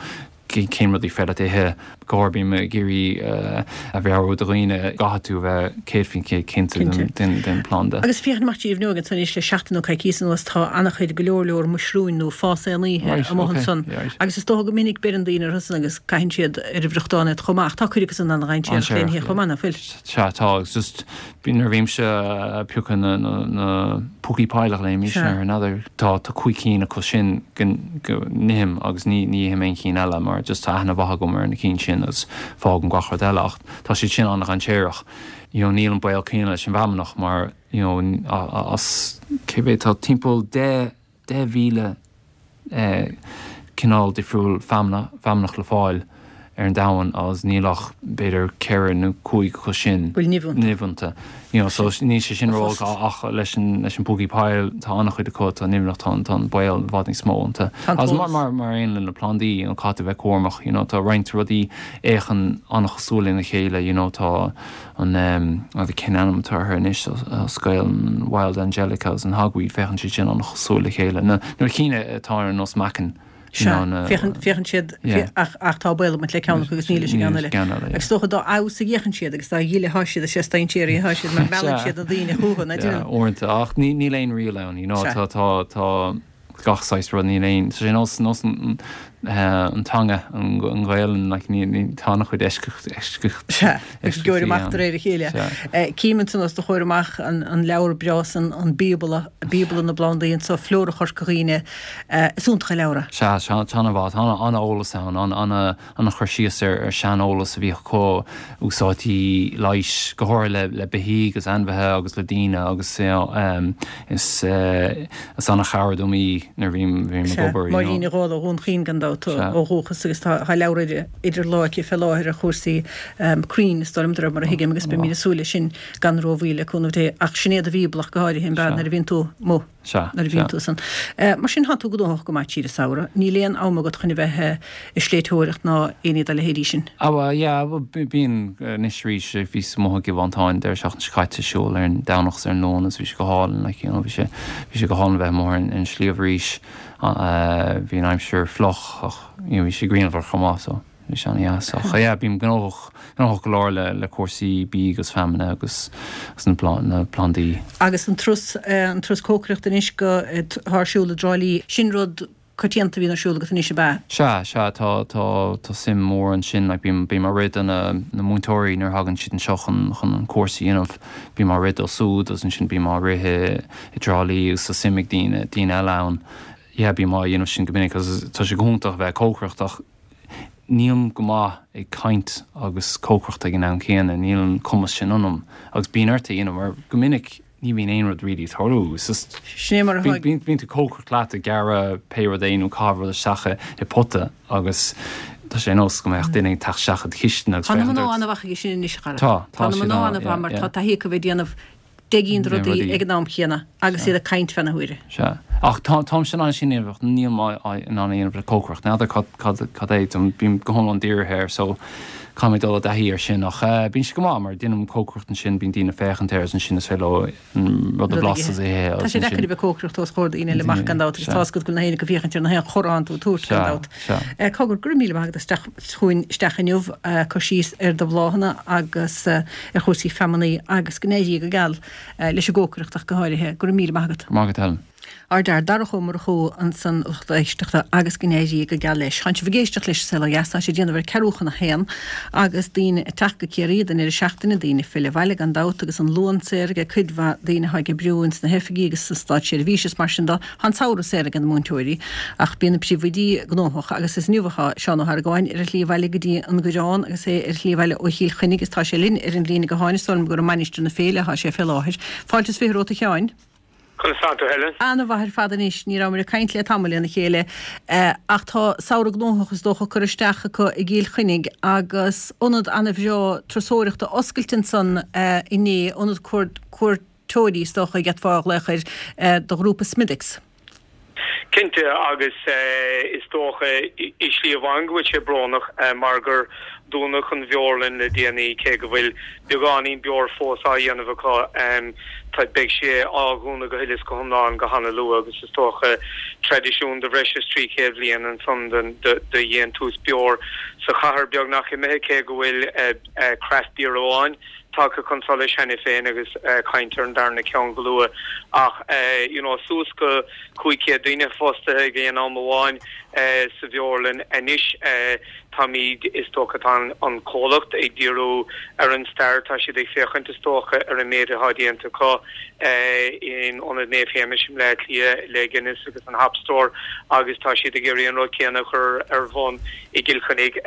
cén rudaí féidir leat ithe go bím ag iarraidh a mheabhrú do dhaoine caithfidh tú bheith céad faoin chéad cinnte Cinnte. den den planda. Agus féachaint amach díobh nua agus anois le seachtain nó coicís anuas tá an-chuid go leor leor muisriúin nó fás aon oíche Right, amuigh okay, ansan. yeah, right. Agus is dócha go minic beireann daoine orthu agus caitheann siad ar a bhriochtán iad chomh maith. Tá cuid acu san an-dainséarach Dainséarach, lena chomh maith, nach bhfuil. Sea tá agus just bíonn nuair a bhímse ag piocadh na, na, na Pukki Pile a ghlaoimís air, n'fheadar, tá tá cúig cinn acu sin go go n-ithim agus ní ní ithim aon chinn eile mar just tá aithne mhaith agam ar na cinn sin agus fágaim gach rud eile ach tá siad sin an-dainséarach. You know, níl an baol céanna leis an bhfeamnach mar you know, as cé mhéad tá timpeall deich deich mhíle eh, cineál difriúil feamna feamnach le fáil ar an domhan agus níl ach b'fhéidir ceithre nó cúig acu sin Bhfuil nimh iontu. nimh iontu. You know, so níl sé sin ró ach leis an leis an Pukki Pile tá an-chuid acu tá nimhneach tá tá an baol i bhfad níos mó iontu. Tá an Agus mar t-eolas. mar mar aon le na plandaí you know, caithfidh tú bheith cúramach, you know, tá roinnt rudaí a fhéachann an-chosúil lena chéile, you know, tá an um, cén ainm atá orthu anois scail an Wild Angelica agus an hogweed féachann siad sin an-chosúil le chéile. Na na cinn atá ar nós meacan. you Sea, know, na- féachann féachann siad Yeah. ach ach tá baol le ceann acu agus níl leis an gceann eile. Ceann eile, yeah. Agus dócha dá fheabhas a fhéachann siad agus dá ghile atá siad is is dainséaraí atá siad mar meallann Sea. siad na daoine chucu na Yeah, uaireanta ach ní níl aon riail ann, you know, Sea. tá tá tá gach saghas rud níl aon tá sé nós nós an eh, an teanga an an Ghaelainn like, ní ní tá an-chuid eisceacht eisceacht Sea, agus geoir amach de réir a chéile. Sea. Eh, Cím ansan os do chomhair amach an, an leabhar breá san an Bíobla, Bíobla na bplandaí anso Flóra Chorca Dhuibhne eh, is iontach an leabhar é. Sea sea tá an-mhaith tá an-eolas ann an an an-chur síos ar ar seaneolas a bhí acu úsáidí leighis go háirithe le le beithígh agus ainmhithe agus le daoine agus you know, um, is uh, is an-chabhair dom í nuair bhím bhím ag obair. you know. Máirín Ní Dhálaigh ó Dhún Chaoin gan dabht Sea. ó dhúchas agus tá tá leabhar idir idir lámha fé láthair ar chúrsaí um, crainn is dóigh liom mar a thuigim agus beimid ag súil leis sin gan rómhoill le cúnamh Dé ach sin é do Bhíobla go háirithe an Sea. nuair a bhíonn tú mo Sea, nuair a bhíonn sea. tú san. Uh, mar sin tá tú gnóthach go maith tríd an samhradh, níl aon am agat chun a bheith eh, ag sléibhteoireacht ná aon ní dá leithéidí sin. Ah, well, yeah, well, bíonn anois arís bhíos amuigh i gCill Mhantáin deireadh seachtaine seo caite siúl ar an Domhnach ar an Luan agus bhí sé go hálainn like, you know, bhí sé bhí sé go hálainn bheith amuigh ar an sliabh arís uh, bhí an aimsir fliuch ach you know, bhí sé grianmhar chomh maith so bhí sé an-deas ach yeah, bím gnóthach gnóthach go leor le le cúrsaí bídh agus feamainne agus agus na plan na plandaí. Agus an turas eh, an turas cócaireachta anois go eh, t- thar siúl i dTrá Lí sin rud coitianta bhíonn ar siúl agat anois ab ea. Sea sea tá tá tá suim mór ansin like, bím bím ag rith do na na múinteoirí nuair a thagann siad anseo chun chun an cúrsa a dhéanamh bím ag rith dóibh siúd agus ansin bím ag rith i dTrá Lí agus tá suim ag daoine daoine eile ann. Yeah, bím á dhéanamh sin go minic agus tá sé go hiontach bheith cócaireacht ach nílim go maith ag caint agus cócaireacht ag an am céanna, níl an cumas sin ionam agus bíonn ort é a dhéanamh mar go minic ní bhíonn aon rud really ag tarlú It's Sin é mar a Bíonn bíonn tú cócaireacht leat ag gearradh pé rud é nó caitheamh rud isteach i pota agus tá sé nós go mbeadh duine ag teacht isteach i do chistin agus Tá na féachaint mná ort. an-mhaith aige sin anois a chara. Tá, tá Tá na siad mná an- an-mhaith yeah, mar yeah. tá taithí acu bheith ag déanamh deich Déan rudaí rudaí. ag an am céanna agus iad ag caint fé na huaire. Sea. Ach tá táim sin an sin ach níl mé in ann a dhéanamh le cócaireacht. N'fheadar cad cad cad é dom bím go hiomlán dírithe air so caithfidh mé dul i dtaithí air sin ach uh, bíonn sé go maith mar déanaim cócaireacht ansin bíonn daoine féachaint air ansin is féidir leo an rud a bhlaiseadh é Tá sé deacair a bheith cócaireacht os comhair daoine eile amach gan dabht agus Sea. tá go bhfuil na héine go féachaint ar na haon chorrán tú tabhairt gan Sea, dabht. sea. Eh, Cogar go raibh míle maith agat isteach chugainn isteach inniu eh, cur síos ar do bhláthanna agus eh, ar chúrsaí feamainní agus go n-éirí go geal eh, leis an gcócaireacht ach go háirithe go raibh míle maith agat. Maith agat Helen. Ár dar Darach Ó Murchú ansan lucht éisteachta agus go n-éirí go geal leis. Tá sibh ag éisteacht leis Saol Ó Dheas tá sé déanamh ar ceathrú chun a haon agus daoine ag teacht go Ciarraí don deireadh seachtaine daoine ag filleadh abhaile gan dabht agus an Luan saor ag cuid mhaith daoine atá ag oibriú ins na hoifigí agus sa státseirbhís is mar sin de an samhradh saor ag na múinteoirí ach bíonn na príomhoidí gnóthach agus is inniu atá Seán Ó hArgáin ar a shlí abhaile go dtí an Gurán agus é ar a shlí abhaile ó Chill Chainnigh agus tá sé linn ar an líne gutháin is dóigh liom gur i Mainistir na Féile atá sé fé láthair. Fáilte is fiche romhat a Sheáin. Conas tá tú Helen? An-mhaith ar fad anois ní raibh muid ag caint le tamall lena chéile eh, ach tá samhradh gnóthach is dócha curtha isteach acu i gCill Chainnigh agus ionad an-bhreá turasóireachta oscailte ansan eh, inné ionad cuairteoirí is dócha d'fhéadfá a ghlaoch air eh, do ghrúpa Smithwick's. Cinnte agus uh, is dócha i slí amháin go bhfuil sé brónach uh, mar gur dúnadh an bhialann le déanaí cé go bhfuil beagáinín beoir fós á dhéanamh acu um, tá beidh sé á dhúnadh go huile is go hiomlán go han-luath agus is dócha traidisiún de bhreis is trí chéad bliain ansan den de, de dhéantús beoir sa chathair beagnach imithe cé go bhfuil uh, uh, craft beer amháin tagtha chun solais cheana féin agus caint ar an darna ceann go luath ach you know suas go cúig chéad duine fostaithe ag aon am amháin sa bheorlann anois. Táimid, is dócha, tá an comhlacht ag díriú ar an stair, tá siad ag féachaint, is dócha, ar an méid atá déanta acu in Ionad Naomh Shéamais i mBleá Cliath le Guinness agus an Hop Store agus tá siad ag iarraidh an rud céanna a chur ar bun i gCill Chainnigh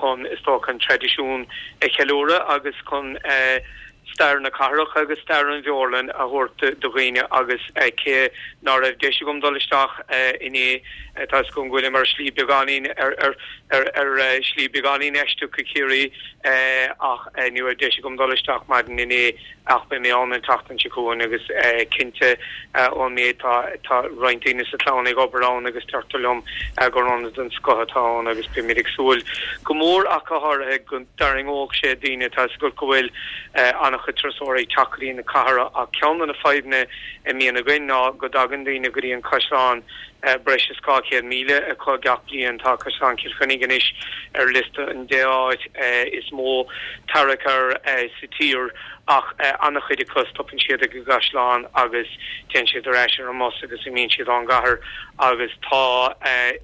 chun, is dócha, an traidisiún a cheiliúradh agus chun stair na cathrach agus stair an bheorlann a thabhairt do dhaoine agus cé ná raibh deis agam dul isteach inné, tá 'fhios agam go bhfuilim ar shlí beagáinín ar ar ar shlí beagáinín aisteach go Ciarraí ach ní raibh deis agam dul isteach maidin inné ach beidh mé ann an tseachtain seo chugainn agus cinnte ón méid tá tá roinnt daoine sa chlann ag obair ann agus deirtear liom gur ionad den scoth atá ann agus beimid ag súil go mór ach go háirithe go dtarraingeodh sé daoine tá 'fhios agat go bhfuil an-chuid turasóirí ag teacht go dtí na cathrach ach ceann de na fadhbanna a mbíonn againn ná go dtagann daoine go dtí an caisleán breis is dhá chéad míle acu gach bliain. Tá Caisleán Chill Chainnigh anois ar liosta an deich áit is mó tarrac air sa tír ach an-chuid acu stopann siad ag an gcaisleán agus téann siad ar ais ar an mbus agus imíonn siad ón gcathair agus tá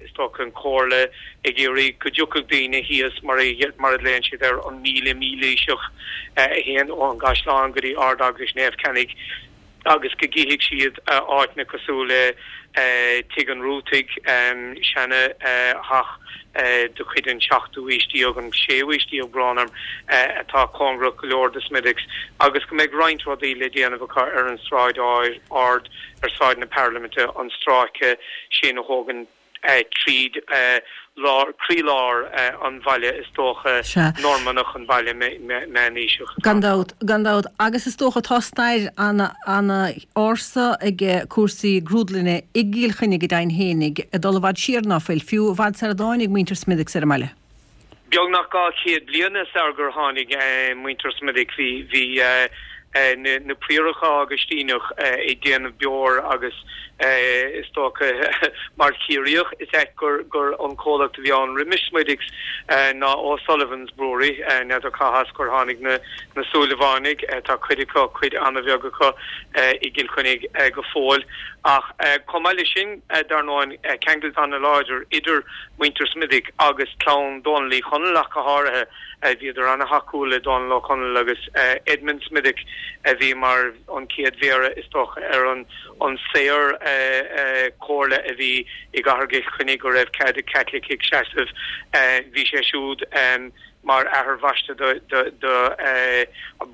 is dócha an Chomhairle ag iarraidh go dtiocfadh daoine thíos mar mar a ghlaonn siad air an míle mílaoiseach a théann ón gcaisleán go dtí Ard-Eaglais Naomh Ceannaigh agus go gcífidh siad áiteanna cosúil le Tigh an Rútaigh, seana theach de chuid an tseachtú aois déag, an séú aois déag, brón orm, atá cóngarach go leor do Smithwick's, agus go mbeidh roinnt rudaí le déanamh acu ar an Sráid Ard, ar Sráid na Parlaiminte, an stráice sin a thógann tríd lár, croílár an bhaile, is dócha, Normannach, an baile meánaoiseach. Gan dabht, gan dabht. Agus is dócha tá stair ana-ársa ag cúrsaí grúdlainne i gCill Chainnigh go deimhin fhéinig, ag dul i bhfad siar ná fuil, fiú i bhfad sar a dtáinig muintir Smithwick's ar an mbaile. Beagnach dhá chéad bliain sar gur tháinig muintir Smithwick bhí bhí na prióracha Agaistíneach ag déanamh beoir agus is dócha mar Chiarraíoch is ait gur gur an comhlacht a bhí ann roimis Smithwick's ná O'Sullivan's Brewery n'fheadar cá has gur tháinig na na Súilleabhánaigh tá cuid acu cuid an-bheag acu i gCill Chainnigh go fóill ach chomh maith leis sin dar ndóigh ceangal an-láidir idir muintir Smithwick agus clann Dónaill Uí Chonaill ach go háirithe. Bhíodar an-thacúil le Dónal Ó Conaill agus Edmund Smithwick a bhí mar an chéad mhéara is dócha ar an an saor chomhairle a bhí i gcathair Chill Chainnigh go raibh cead ag Caitlicigh seasamh. Bhí sé siúd mar athair bhaiste do do do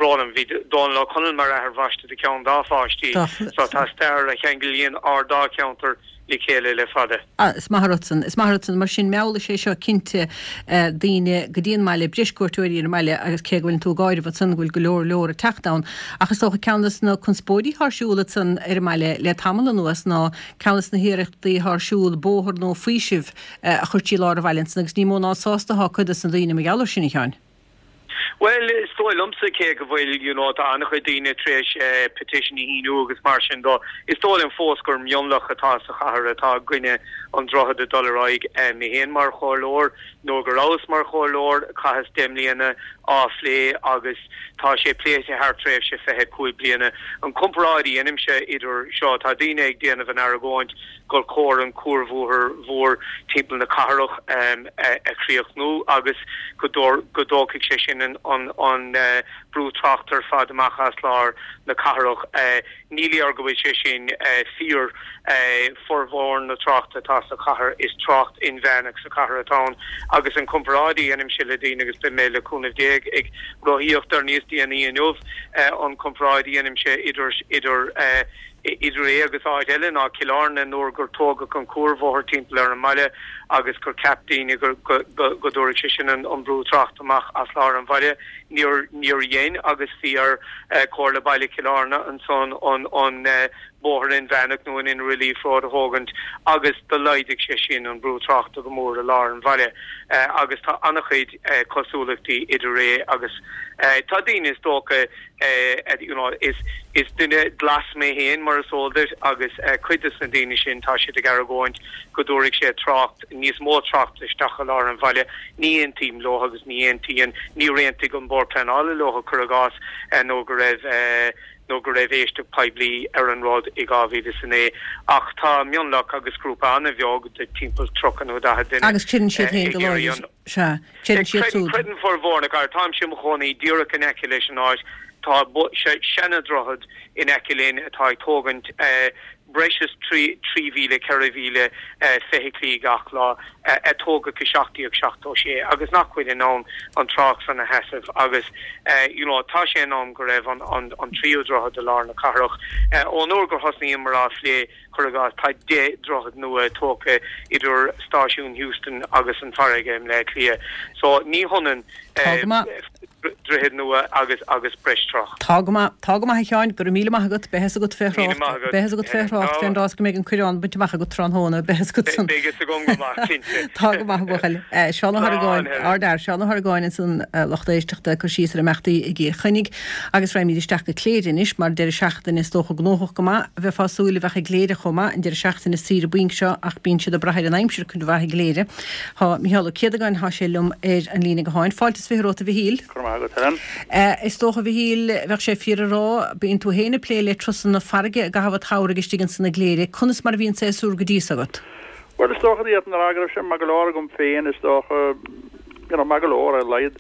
brón orm, bhí Dónal Ó Conaill mar athair bhaiste do cheann dá pháistí. So tá stair a cheanglaíonn ár dá cheantar le chéile le fada. Is maith an rud san, is maith an rud san. Mar sin, meallfaidh sé seo cinnte daoine go dtí an mbaile, breis cuairteoirí ar an mbaile agus cé go bhfuileann tú ag áireamh ansan go bhfuil go leor leor ag teacht ann. Ach is dócha ceann des na conspóidí atá ar siúl ansan ar an mbaile le tamall anuas ná ceann des na hiarrachtaí atá ar siúl bóthar nua faoisimh a chur trí lár an bhaile ansan agus ní mó ná sásta atá cuid des na daoine mar gheall air sin, a Sheáin. Bhuel, is dóigh liomsa, cé go bhfuil, you know, tá an-chuid daoine tar éis petition a shíniú agus mar sin dó, is dóigh liom fós gur mionlach atá sa chathair atá i gcoinne an droichead ag dul ar aghaidh. Mé féin mar chomhairleoir, nuair go rabhas mar chomhairleoir, chaitheas deich mbliana á phlé agus tá sé pléite thar tréimhse fiche cúig bliana. An comparáid a dheinimse idir seo, tá daoine ag déanamh an argóint gur chóir an cuarbhóthar mhór timpeall na cathrach a chríochnú agus go dtógfaidh sé sin an brú tráchta ar fad amach as lár na cathrach. Ní léir go bhfuil sé sin fíor. Formhór na tráchta atá sa chathair, is trácht inmheánach sa chathair atá ann agus an comparáid a dheinimse le daoine, agus beidh mé le cúnamh Dé ag rothaíocht ar níos déanaí inniu, an comparáid a dheinimse idir idir Idir é agus áit eile ná Cill Airne nuair gur tógadh an cuarbhóthar timpeall ar an mbaile agus gur cheap daoine go go dtabharfadh sé sin an brú tráchta amach as lár an bhaile. Níor níor dhein agus bhí ar Chomhairle Baile Chill Airne ansan an an bóthar inmheánach nó an Inner Relief Road a thógaint agus do laghdaigh sé sin an brú tráchta go mór i lár an bhaile agus tá an-chuid cosúlachtaí idir é agus tá daoine is dócha you know is is duine glas mé féin mar is eol duit agus cuid de na daoine sin tá siad ag argóint go dtabharfaidh sé trácht níos mó tráchta isteach i lár an bhaile. Ní aontaím leo agus ní aontaíonn, níor aontaigh an Bord Pleanála leo cuir i gcás nó go raibh nó go raibh éisteacht poiblí ar an rud i dhá mhíle is a naoi. Ach tá mionlach agus grúpa an-bheag de timpeall tríocha nó daichead duine Agus creideann siad féin go láidir, sea, creideann siad súd. Creideann formhór na gcarr. Táimse i mo chónaí díreach in aice leis an áit. Tá seana-dhroichead in aice linn atá ag tógaint breis is trí mhíle, ceithre mhíle feithiclí gach lá, a tógadh i seacht déag seachtó sé agus nach bhfuil in ann an trácht san a sheasamh agus you know tá sé in am go raibh an an tríú droichead i lár na cathrach. Ón uair gur thosnaíomar á phlé, cuir i gcás, tá deich droichead nua tógtha idir stáisiún Heuston agus an farraige i mBleá Cliath. So ní hionann Tá go maith. droichead nua agus agus breis tráchta. Tá go maith, tá go maith a Sheáin, go raibh míle maith agat, beidh a fhios agat fé Míle thrácht, maith agat. beidh a fhios agat fé thrácht fén rás go mbeidh an coireán bainte amach agat tráthnóna, beidh a fhios agat san. Beidh a fhios agam go maith, cinnte. Tá go maith a bhuachaill. Seán Ó Slán, hArgáin, Helen. ardfhear, Seán Ó hArgáin ansan lucht éisteachta ag cur síos ar imeachtaí i gCill Chainnigh agus raghaimid isteach go Cléire anois mar deireadh seachtaine is dócha gnóthach go maith a bheifeá ag súil a bheadh i gCléire chomh maith an deireadh seachtaine saoire bainc seo ach bíonn siad ag brath ar an aimsir cuid mhaith i gCléire. Tá Micheál Ó Céadagáin, thá sé liom ar an líne gutháin. Fáilte is fiche romhat a Mhichíl. Go raibh maith agat, Helen. Is dócha, a Mhichíl, bheadh sé fíor a rá, bíonn tú féin ag plé le turasanna farraige i gcaitheamh an tsamhraidh istigh ansan i gCléire. Conas mar a bhí an séasúr go dtí so agat? Bhuel, is dócha d'fhéadfainn a rá go raibh sé maith go leor agam féin, is dócha, you know, maith go leor ar a laghad.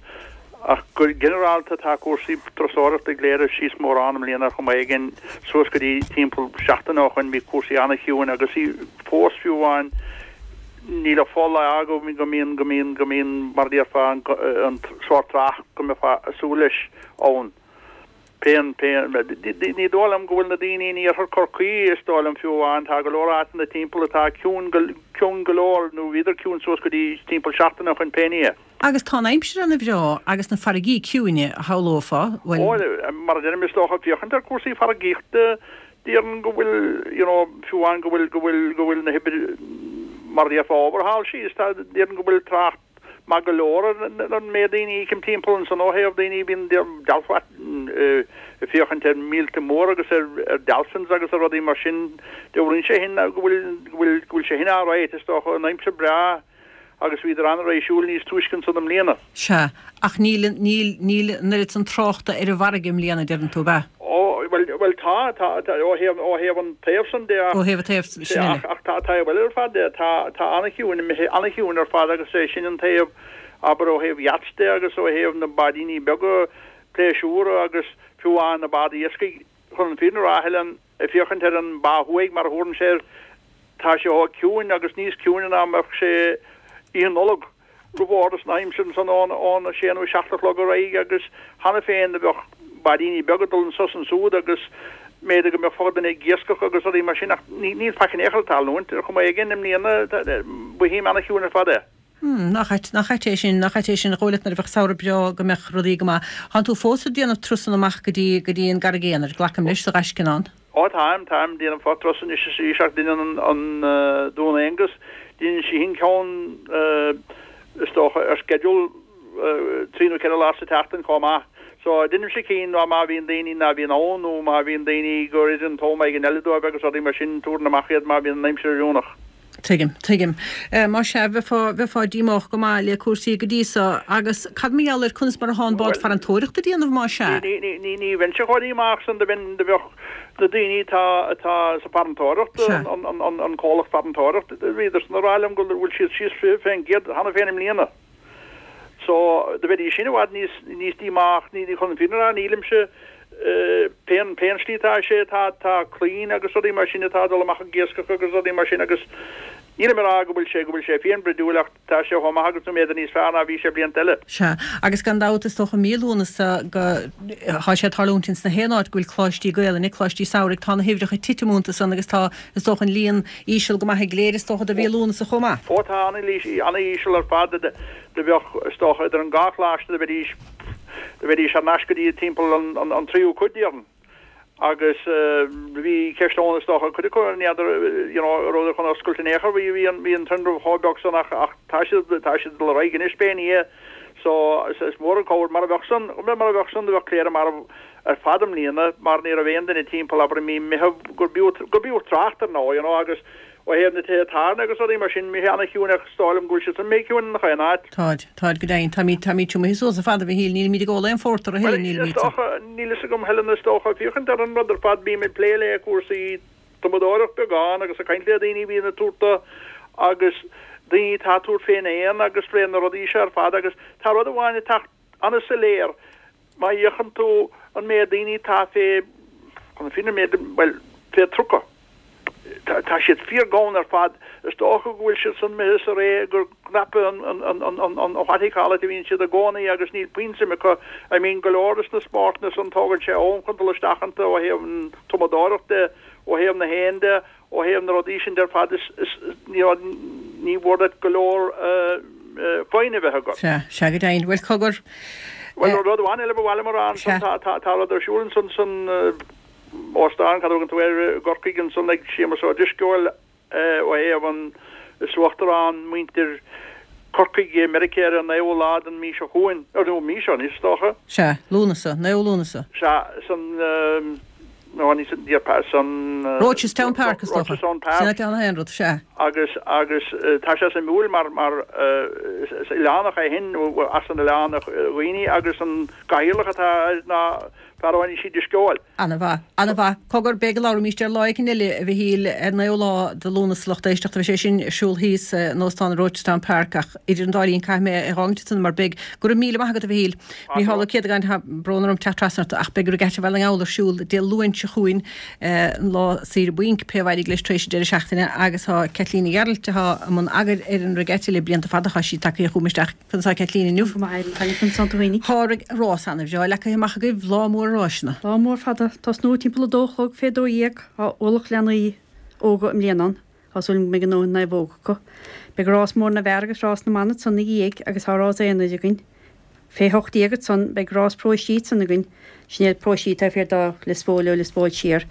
Ach go ginearálta tá cúrsaí turasóireachta i gCléire síos mórán i mbliana ar chuma éigin, suas go dtí timpeall seachtain ó shoin bhí cúrsaí an-chiúin agus fós fiú amháin níl a fhola go go mbíonn go mbíonn go mbíonn mar a déarfá an an sórt trácht go mbeifeá ag súil leis ann. Pé pé ní dóigh liom go bhfuil na daoine in iarthar Chorcaí is dóigh liom fiú amháin tá go leor áiteanna timpeall atá ciúin go ciúin go leor nó bhíodar ciúin suas go dtí timpeall seachtain ó shoin pé ní é. Agus tá an aimsir ana bhreá agus na farraigí ciúine a shamhlófá, bhuel. Ó, mar a deirim is dócha féachaint ar cúrsaí farraigíochta déarfainn go bhfuil you know fiú amháin go bhfuil go bhfuil go bhfuil na hoibre mar a déarfá obair thall síos tá déarfainn go bhfuil trácht maith go leor ar an méid daoine a fheicim timpeall ansan ó thaobh daoine bíonn ag féachaint ar mhíolta móra agus ar ar dolphins agus ar rudaí mar sin dealraíonn sé sin go bhfuil go bhfuil go bhfuil sé sin alright is dócha an aimsir breá agus bhíodar an-réisiúil níos túisce ansan i mbliana. Sea, ach níl, níl, níl an oiread san tráchta ar an bhfarraige i mbliana, deireann tú, ab ea? Ó, bhuel, bhuel tá, tá, tá, ó thaobh, ó thaobh an taobh san de ach. Ó thaobh an taobh sin eile. Ach, ach tá, tá bhuel ar fad de, tá, tá an-chiúin, imithe an-chiúin ar fad agus é sin an taobh, abair ó thaobh yachts de agus ó thaobh na báidíní beaga pléisiúra agus fiú amháin na báid iascaigh, chun an fírinne a rá, Helen, ag féachaint ar an bá thuaidh mar a thabhrann sé air, Tá sé chomh ciúin agus níos ciúine ná mbeadh sé Oíche Nollag roimh árdas na haimsire ansan ón ón a sé nó a seacht a chlog ar aghaidh agus cheana féin do bheadh báidíní beaga ag dul anso is ansúd agus mb'fhéidir go mbeadh fo-dhuine ag iascach agus rudaí mar sin ach ní níl faic in aon chor ag tarlúint ar chuma éigin i mbliana mothaím ana-chiúin ar fad é. Hmm, nach ait, nach ait é sin, nach ait é sin, dhóigh leat nuair a bheadh samhradh breá go mbeadh rudaí go maith. Thánn tú fós ag déanamh turasanna amach go dtí, go dtí an gCarraig Aonair, glacaim leis, sa Ghaiscineán? Ó táim, táim, déanaim fo-turas anois is arís ach deineann an, an Dún Aonghus, deineann sí féin ceann is dócha ar sceideal trí nó ceithre lá sa tseachtain chomh maith. So deinimse cinn má bhíonn daoine ná bíonn ann nó má bhíonn daoine gur oir an t-am éigin eile dóibh agus rudaí mar sin, tabhraim amach iad má bhíonn an aimsir oiriúnach. Tuigim, tuigim. Más ea, bheifeá, bheifeá díomách go maith le cúrsaí go dtí so. Agus cad mar gheall ar conas mar atá an bád farantóireachta ag déanamh, más ea? Ní, ní, ní, ní bheinnse chomh díomách san do bheinn, do bheadh na daoine atá, atá sa farantóireacht, an, an, an, an comhlacht farantóireachta, bhíodar san ag rá liom go bhfuil siad síos fiche fén gcéad cheana féin i mbliana. So, do bheidís sin i bhfad níos, níos díomách, ní, ní chun an fírinne a rá, nílimse, pén, pén slí atá sé, tá, tá claínn agus rudaí mar sin atá ag dul amach ag iascach agus rudaí mar sin agus nílim ag rá go bhfuil sé, go bhfuil sé féinbhroidiúil ach tá sé chomh maith agus nó mb'fhéidir níos fearr ná bhí sé blianta eile. Sea, agus gan dabht is dócha mí Lúnasa go, thá sé ag tarlúint ins na haon áit go bhfuil coláistí Gaelainne, coláistí samhraidh, tá na huimhreacha ag titim iontu san agus tá, is dócha an líon íseal go maith i gCléire is dócha do mhí Lúnasa chomh maith. Ó tá an-íseal ar fad, do bheadh, is dócha, idir an dhá choláiste do bheidís, do bheidís thar n-ais go dtí timpeall an tríú cuid, déarfainn. Agus bhí ceist ann, is dócha, cuid acu, n'fheadar, you know, an rabhadar chun oscailt in aon chor, bhí, bhí an, bhí an tinreamh chomh beag san ach, ach tá siad, tá siad ag dul ar aghaidh anois pé ní é. So, is, is mór an cabhair, mara bheadh san, mara bheadh san do bheadh Cléire marbh ar fad i mbliana mar ní raibh aon duine timpeall, abair i mí Meitheamh, gur b'fhiú, gur b'fhiú trácht ar ndóigh, you know, agus Ó thaobh na tithe tábhairne agus rudaí mar sin, imithe ana-chiúin ach is dóigh liom go bhfuil siad san imithe ciúin in chaon áit. Táid, táid go deimhin. Táimid, táimid tumtha suas ar fad, a Mhichíl, nílimid ag ól aon phórtar a Bhuel, thuilleadh, is nílimid. dócha, níl fhios agam, Helen, is dócha, féachaint ar an rud ar fad, bím ag plé le cúrsaí tumadóireacht beagán agus ag caint le daoine a bhíonn ag tabhairt dó agus daoine atá ag tabhairt fén éan agus fé na rudaí seo ar fad agus tá rud amháin ag teacht an-soiléir, má fhéachann tú an méid daoine atá fé, chun na fírinne, an méid, bhuel, fé trucail. Tá siad fíor-ghann ar fad. Is dócha go bhfuil siad san imithe sa ré gur cnaipe an an what you call it a bhíonn siad i gcónaí agus níl puinn suim acu. I mean go leor des na spórtanna san tógann sé am chun dul isteach iontu ó thaobh an tumadóireacht de, ó thaobh na héan de, ó thaobh na rudaí sin de ar fad is is ní ní mhór duit go leor foighne a bheith agat. Sea, sea go deimhin. Bhuel cogar. Bhuel rud amháin eile ba mhaith liom a rá ansan tá tá tá rud ar siúl ansan san Óstán, cad a thugann tú air, i gCorcaigh ansan ag Séamus Ó Drisceoil ó thaobh an, is uachtarán muintir Corcaigh i Meiriceá ar an naoú lá den mí seo chugainn, nó mí seo anois is dócha. Sea, Lúnasa, naoú Lúnasa. Sea, san, nó ní san, san. Rochestown Park is dócha. Rochestown Park. Sin áit ann aon rud, sea. Agus, agus tá sé suimiúil mar, mar is oileánach é féin, as an oileán a dhaoine agus an cathaoirleach atá air ná Fear ó Inis Drisceoil. Ana-mhaith. Ana-mhaith. Cogar, beidh go labhraímíst air lá éicint eile, a Mhichíl, ar naoú lá de Lúnasa lucht éisteachta. Beidh sé sin ar siúl thíos in Óstán Rochestown Park ach idir an dá linn caithfidh mé é a dh'fhágaint ansan mar beidh. Go raibh míle maith agat, a Mhichíl. Micheál Ó Céadagáin, tá brón orm teacht trasna ort ach beidh Regatta Bhaile na nGall ar siúl Dé Luain seo chugainn, an lá saoire bainc, pé a éireoidh leis tar éis an deireadh seachtaine agus tá Caitlín Ní Ghearailt atá i mbun eagair ar an Regatta le blianta fada, tá sí tagtha chugam isteach. Conas tá Caitlín inniu? Go maith, Tá an tú fhéinig. Tá rás ana-bhreá leagtha amach agaibh, lá mór ráiseanna. Lá mór fada. Tosnú timpeall a dó a chlog fé dó dhéag. Tá ualach leanaí óga i mbliana ann. Tá súil agam go mbeidh a ndóthain naomhóg acu. Beidh rás mór na bhfear agus rás na mban ansan ina dhiaidh agus tá rás aonair againn. Fé hocht déag ansan beidh rás paróistí ansan againn. Sin iad paróistí taobh thiar de Lios Póil ó Lios Póil siar.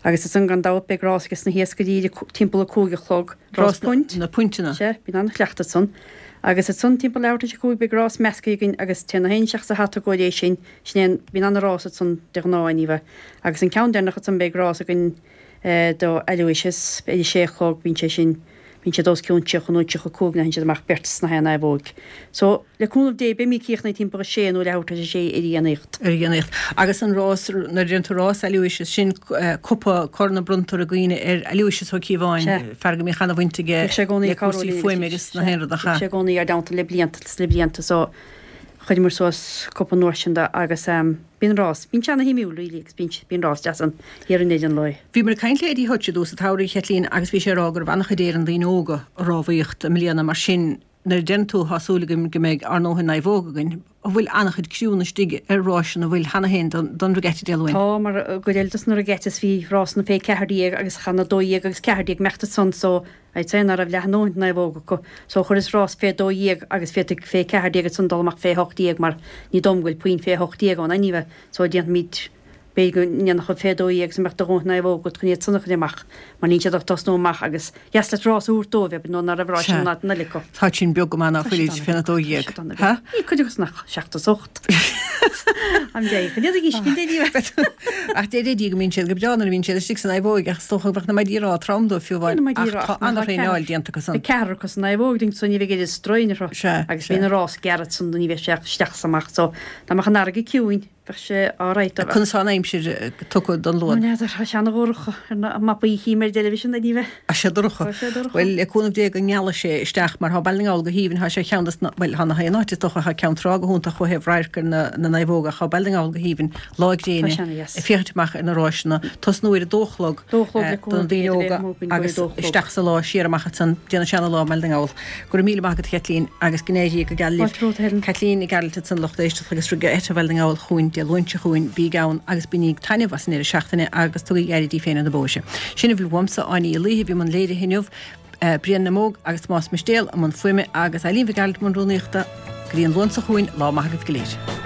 Agus ansan gan dabht beidh rás ages na hiascairí timpeall a cúig a chlog. Rás punt. Na puinteanna. Sea, bíonn an-chleachtadh ansan. Agus ansan timpeall leathuair tar éis a cúig beidh rás measctha againn agus téann na héin isteach sa hata i gcomhair é sin. Sin é an, bíonn an-rás ansan de ghnáth anyway. Agus an ceann deireanach ansan beidh rás againn do Aloysius ar a sé a chlog, bíonn sé sin, bíonn siad os cionn tríocha nó tríocha cúig nuair a théann siad amach beirt sna haon naomhóig. So, le cúnamh Dé, beimid críochnaithe timpeall a sé nó leathuair tar éis a sé ar a dhéanaíocht. Ar a dhéanaíocht. Agus an rás, nuair a deireann tú rás Aloysius, sin cupa, corn a bronntar i gcuimhne ar Aloysius Ó Cíobháin, Sea. fear go mbíodh ana-bhaint aige Bhíodh sé i gcónaí le ag cabhrú cúrsaí linn agus fuaime agus na sea, haon rud ach bhíodh ea. sé i gcónaí ár dteannta le blianta is le blianta so chuireamar suas cupa an uair sin de agus bíonn rás, bíonn sé ana-shuimiúil really agus bíonn, bíonn rás deas ann thiar i ndeireadh an lae. Bhíomar ag caint le Eddie Hutch i dtús an tsamhraidh, a Chaitlín, agus bhí sé ag rá go raibh an-chuid Éireann daoine óga ag rámhaíocht i mbliana mar sin nuair a deireann tú tá súil againn go mbeidh ár ndóthain naomhóg againn, an bhfuil an-chuid criúnna istigh ar ráiseanna an bhfuil cheana féin don, don Regatta Dé Luain? Tá, mar i gcuid eile dos na regattas bhí rásanna fé ceathair déag agus chan a dó dhéag agus ceathair déag imeacht ansan so I'd say ná raibh leath a ndóthain naomhóg acu so chuireas rás fé dó dhéag agus féadfaidh fé ceathair déag ansan dul amach fé hocht déag mar ní dóigh liom go bhfuil puinn fé hocht déag ann anyway so déanfaimid b'fhéidir go ndéanfadh fé dó dhéag is a mbeadh do dhóthain naomhóg agat chun iad san a chur amach mar níl siad ach tosnú amach agus dheas leat rás a thabhairt dóibh abair nó ná raibh ráis Sea. in áit an eile acu. Tá sin beag go maith ná Tá fuilid siad féna ana dó bheag, tá dhéag. siad ana Ha? bheag. Ní cuid acu san ach seacht is ocht. Am dé, chun iad a dhíscint é ní Ach deir Eddie go mbíonn siad go breá nuair a bhíonn siad istigh san naomhóig ach is dócha go mbeadh na maidí rá trom dóibh fiú amháin Bíonn na maidí ach rá tá ach má tá an-thraenáil ceathrar déanta acu san. Beidh ceathrar acu san naomhóg ding so ní bheidh oiread strain orthu Sea, agus sea. bíonn an rás gearr ansan ní bheidh sé ach isteach is amach so dá mbeadh an fharraige ciúin bheadh sé alright dá mbeadh. Conas tá an aimsir tugtha don Ó Luan? n'fheadar, tá sé ana-dhorcha ar na mapaí chím ar an dteilifísean ní bheith. Tá sé dorcha. Tá sé dorcha. Bhuel, le cúnamh Dé go ngealfaidh sé isteach mar tá Baile na nGall go haoibhinn, tá sé ceann des na, bhuel, tá na haon áit is dócha, tá Ceann Trá go hiontach ó thaobh radharc ar na, na naomhóga ach tá Baile na nGall go haoibhinn lá gréine Tá sé ana-dheas. ag féachaint amach ar na ráiseanna. Tosnú ar a dó a chlog Dó a chlog le don cúnamh Dé daoine do óga bheith amuigh againn go agus dó a chlog. isteach sa lá siar amach ansan déanfaidh sé ana-lá i mBaile na nGall. Go raibh míle maith agat a Chaitlín agus go n-éirí go geal libh. Fáilte romhat, a Helen. Caitlín Ní Ghearailt ansan lucht éisteachta agus Regatta Bhaile na nGall chugainn Dé Luain seo chugainn bígí ann agus bainigí taitneamh as an deireadh seachtaine agus tugaigí aire daoibh féin ar na bóithre. Sin a bhfuil uaimse Áine Uí Laoithe bhí i mbun léirithe inniu, Brian na Móg agus Tomás Mistéal i mbun fuaime agus Eileen Mhic Gearailt i mbun rúnaíochta. Go dtí an Luan seo chugainn, lá maith agaibh go léir.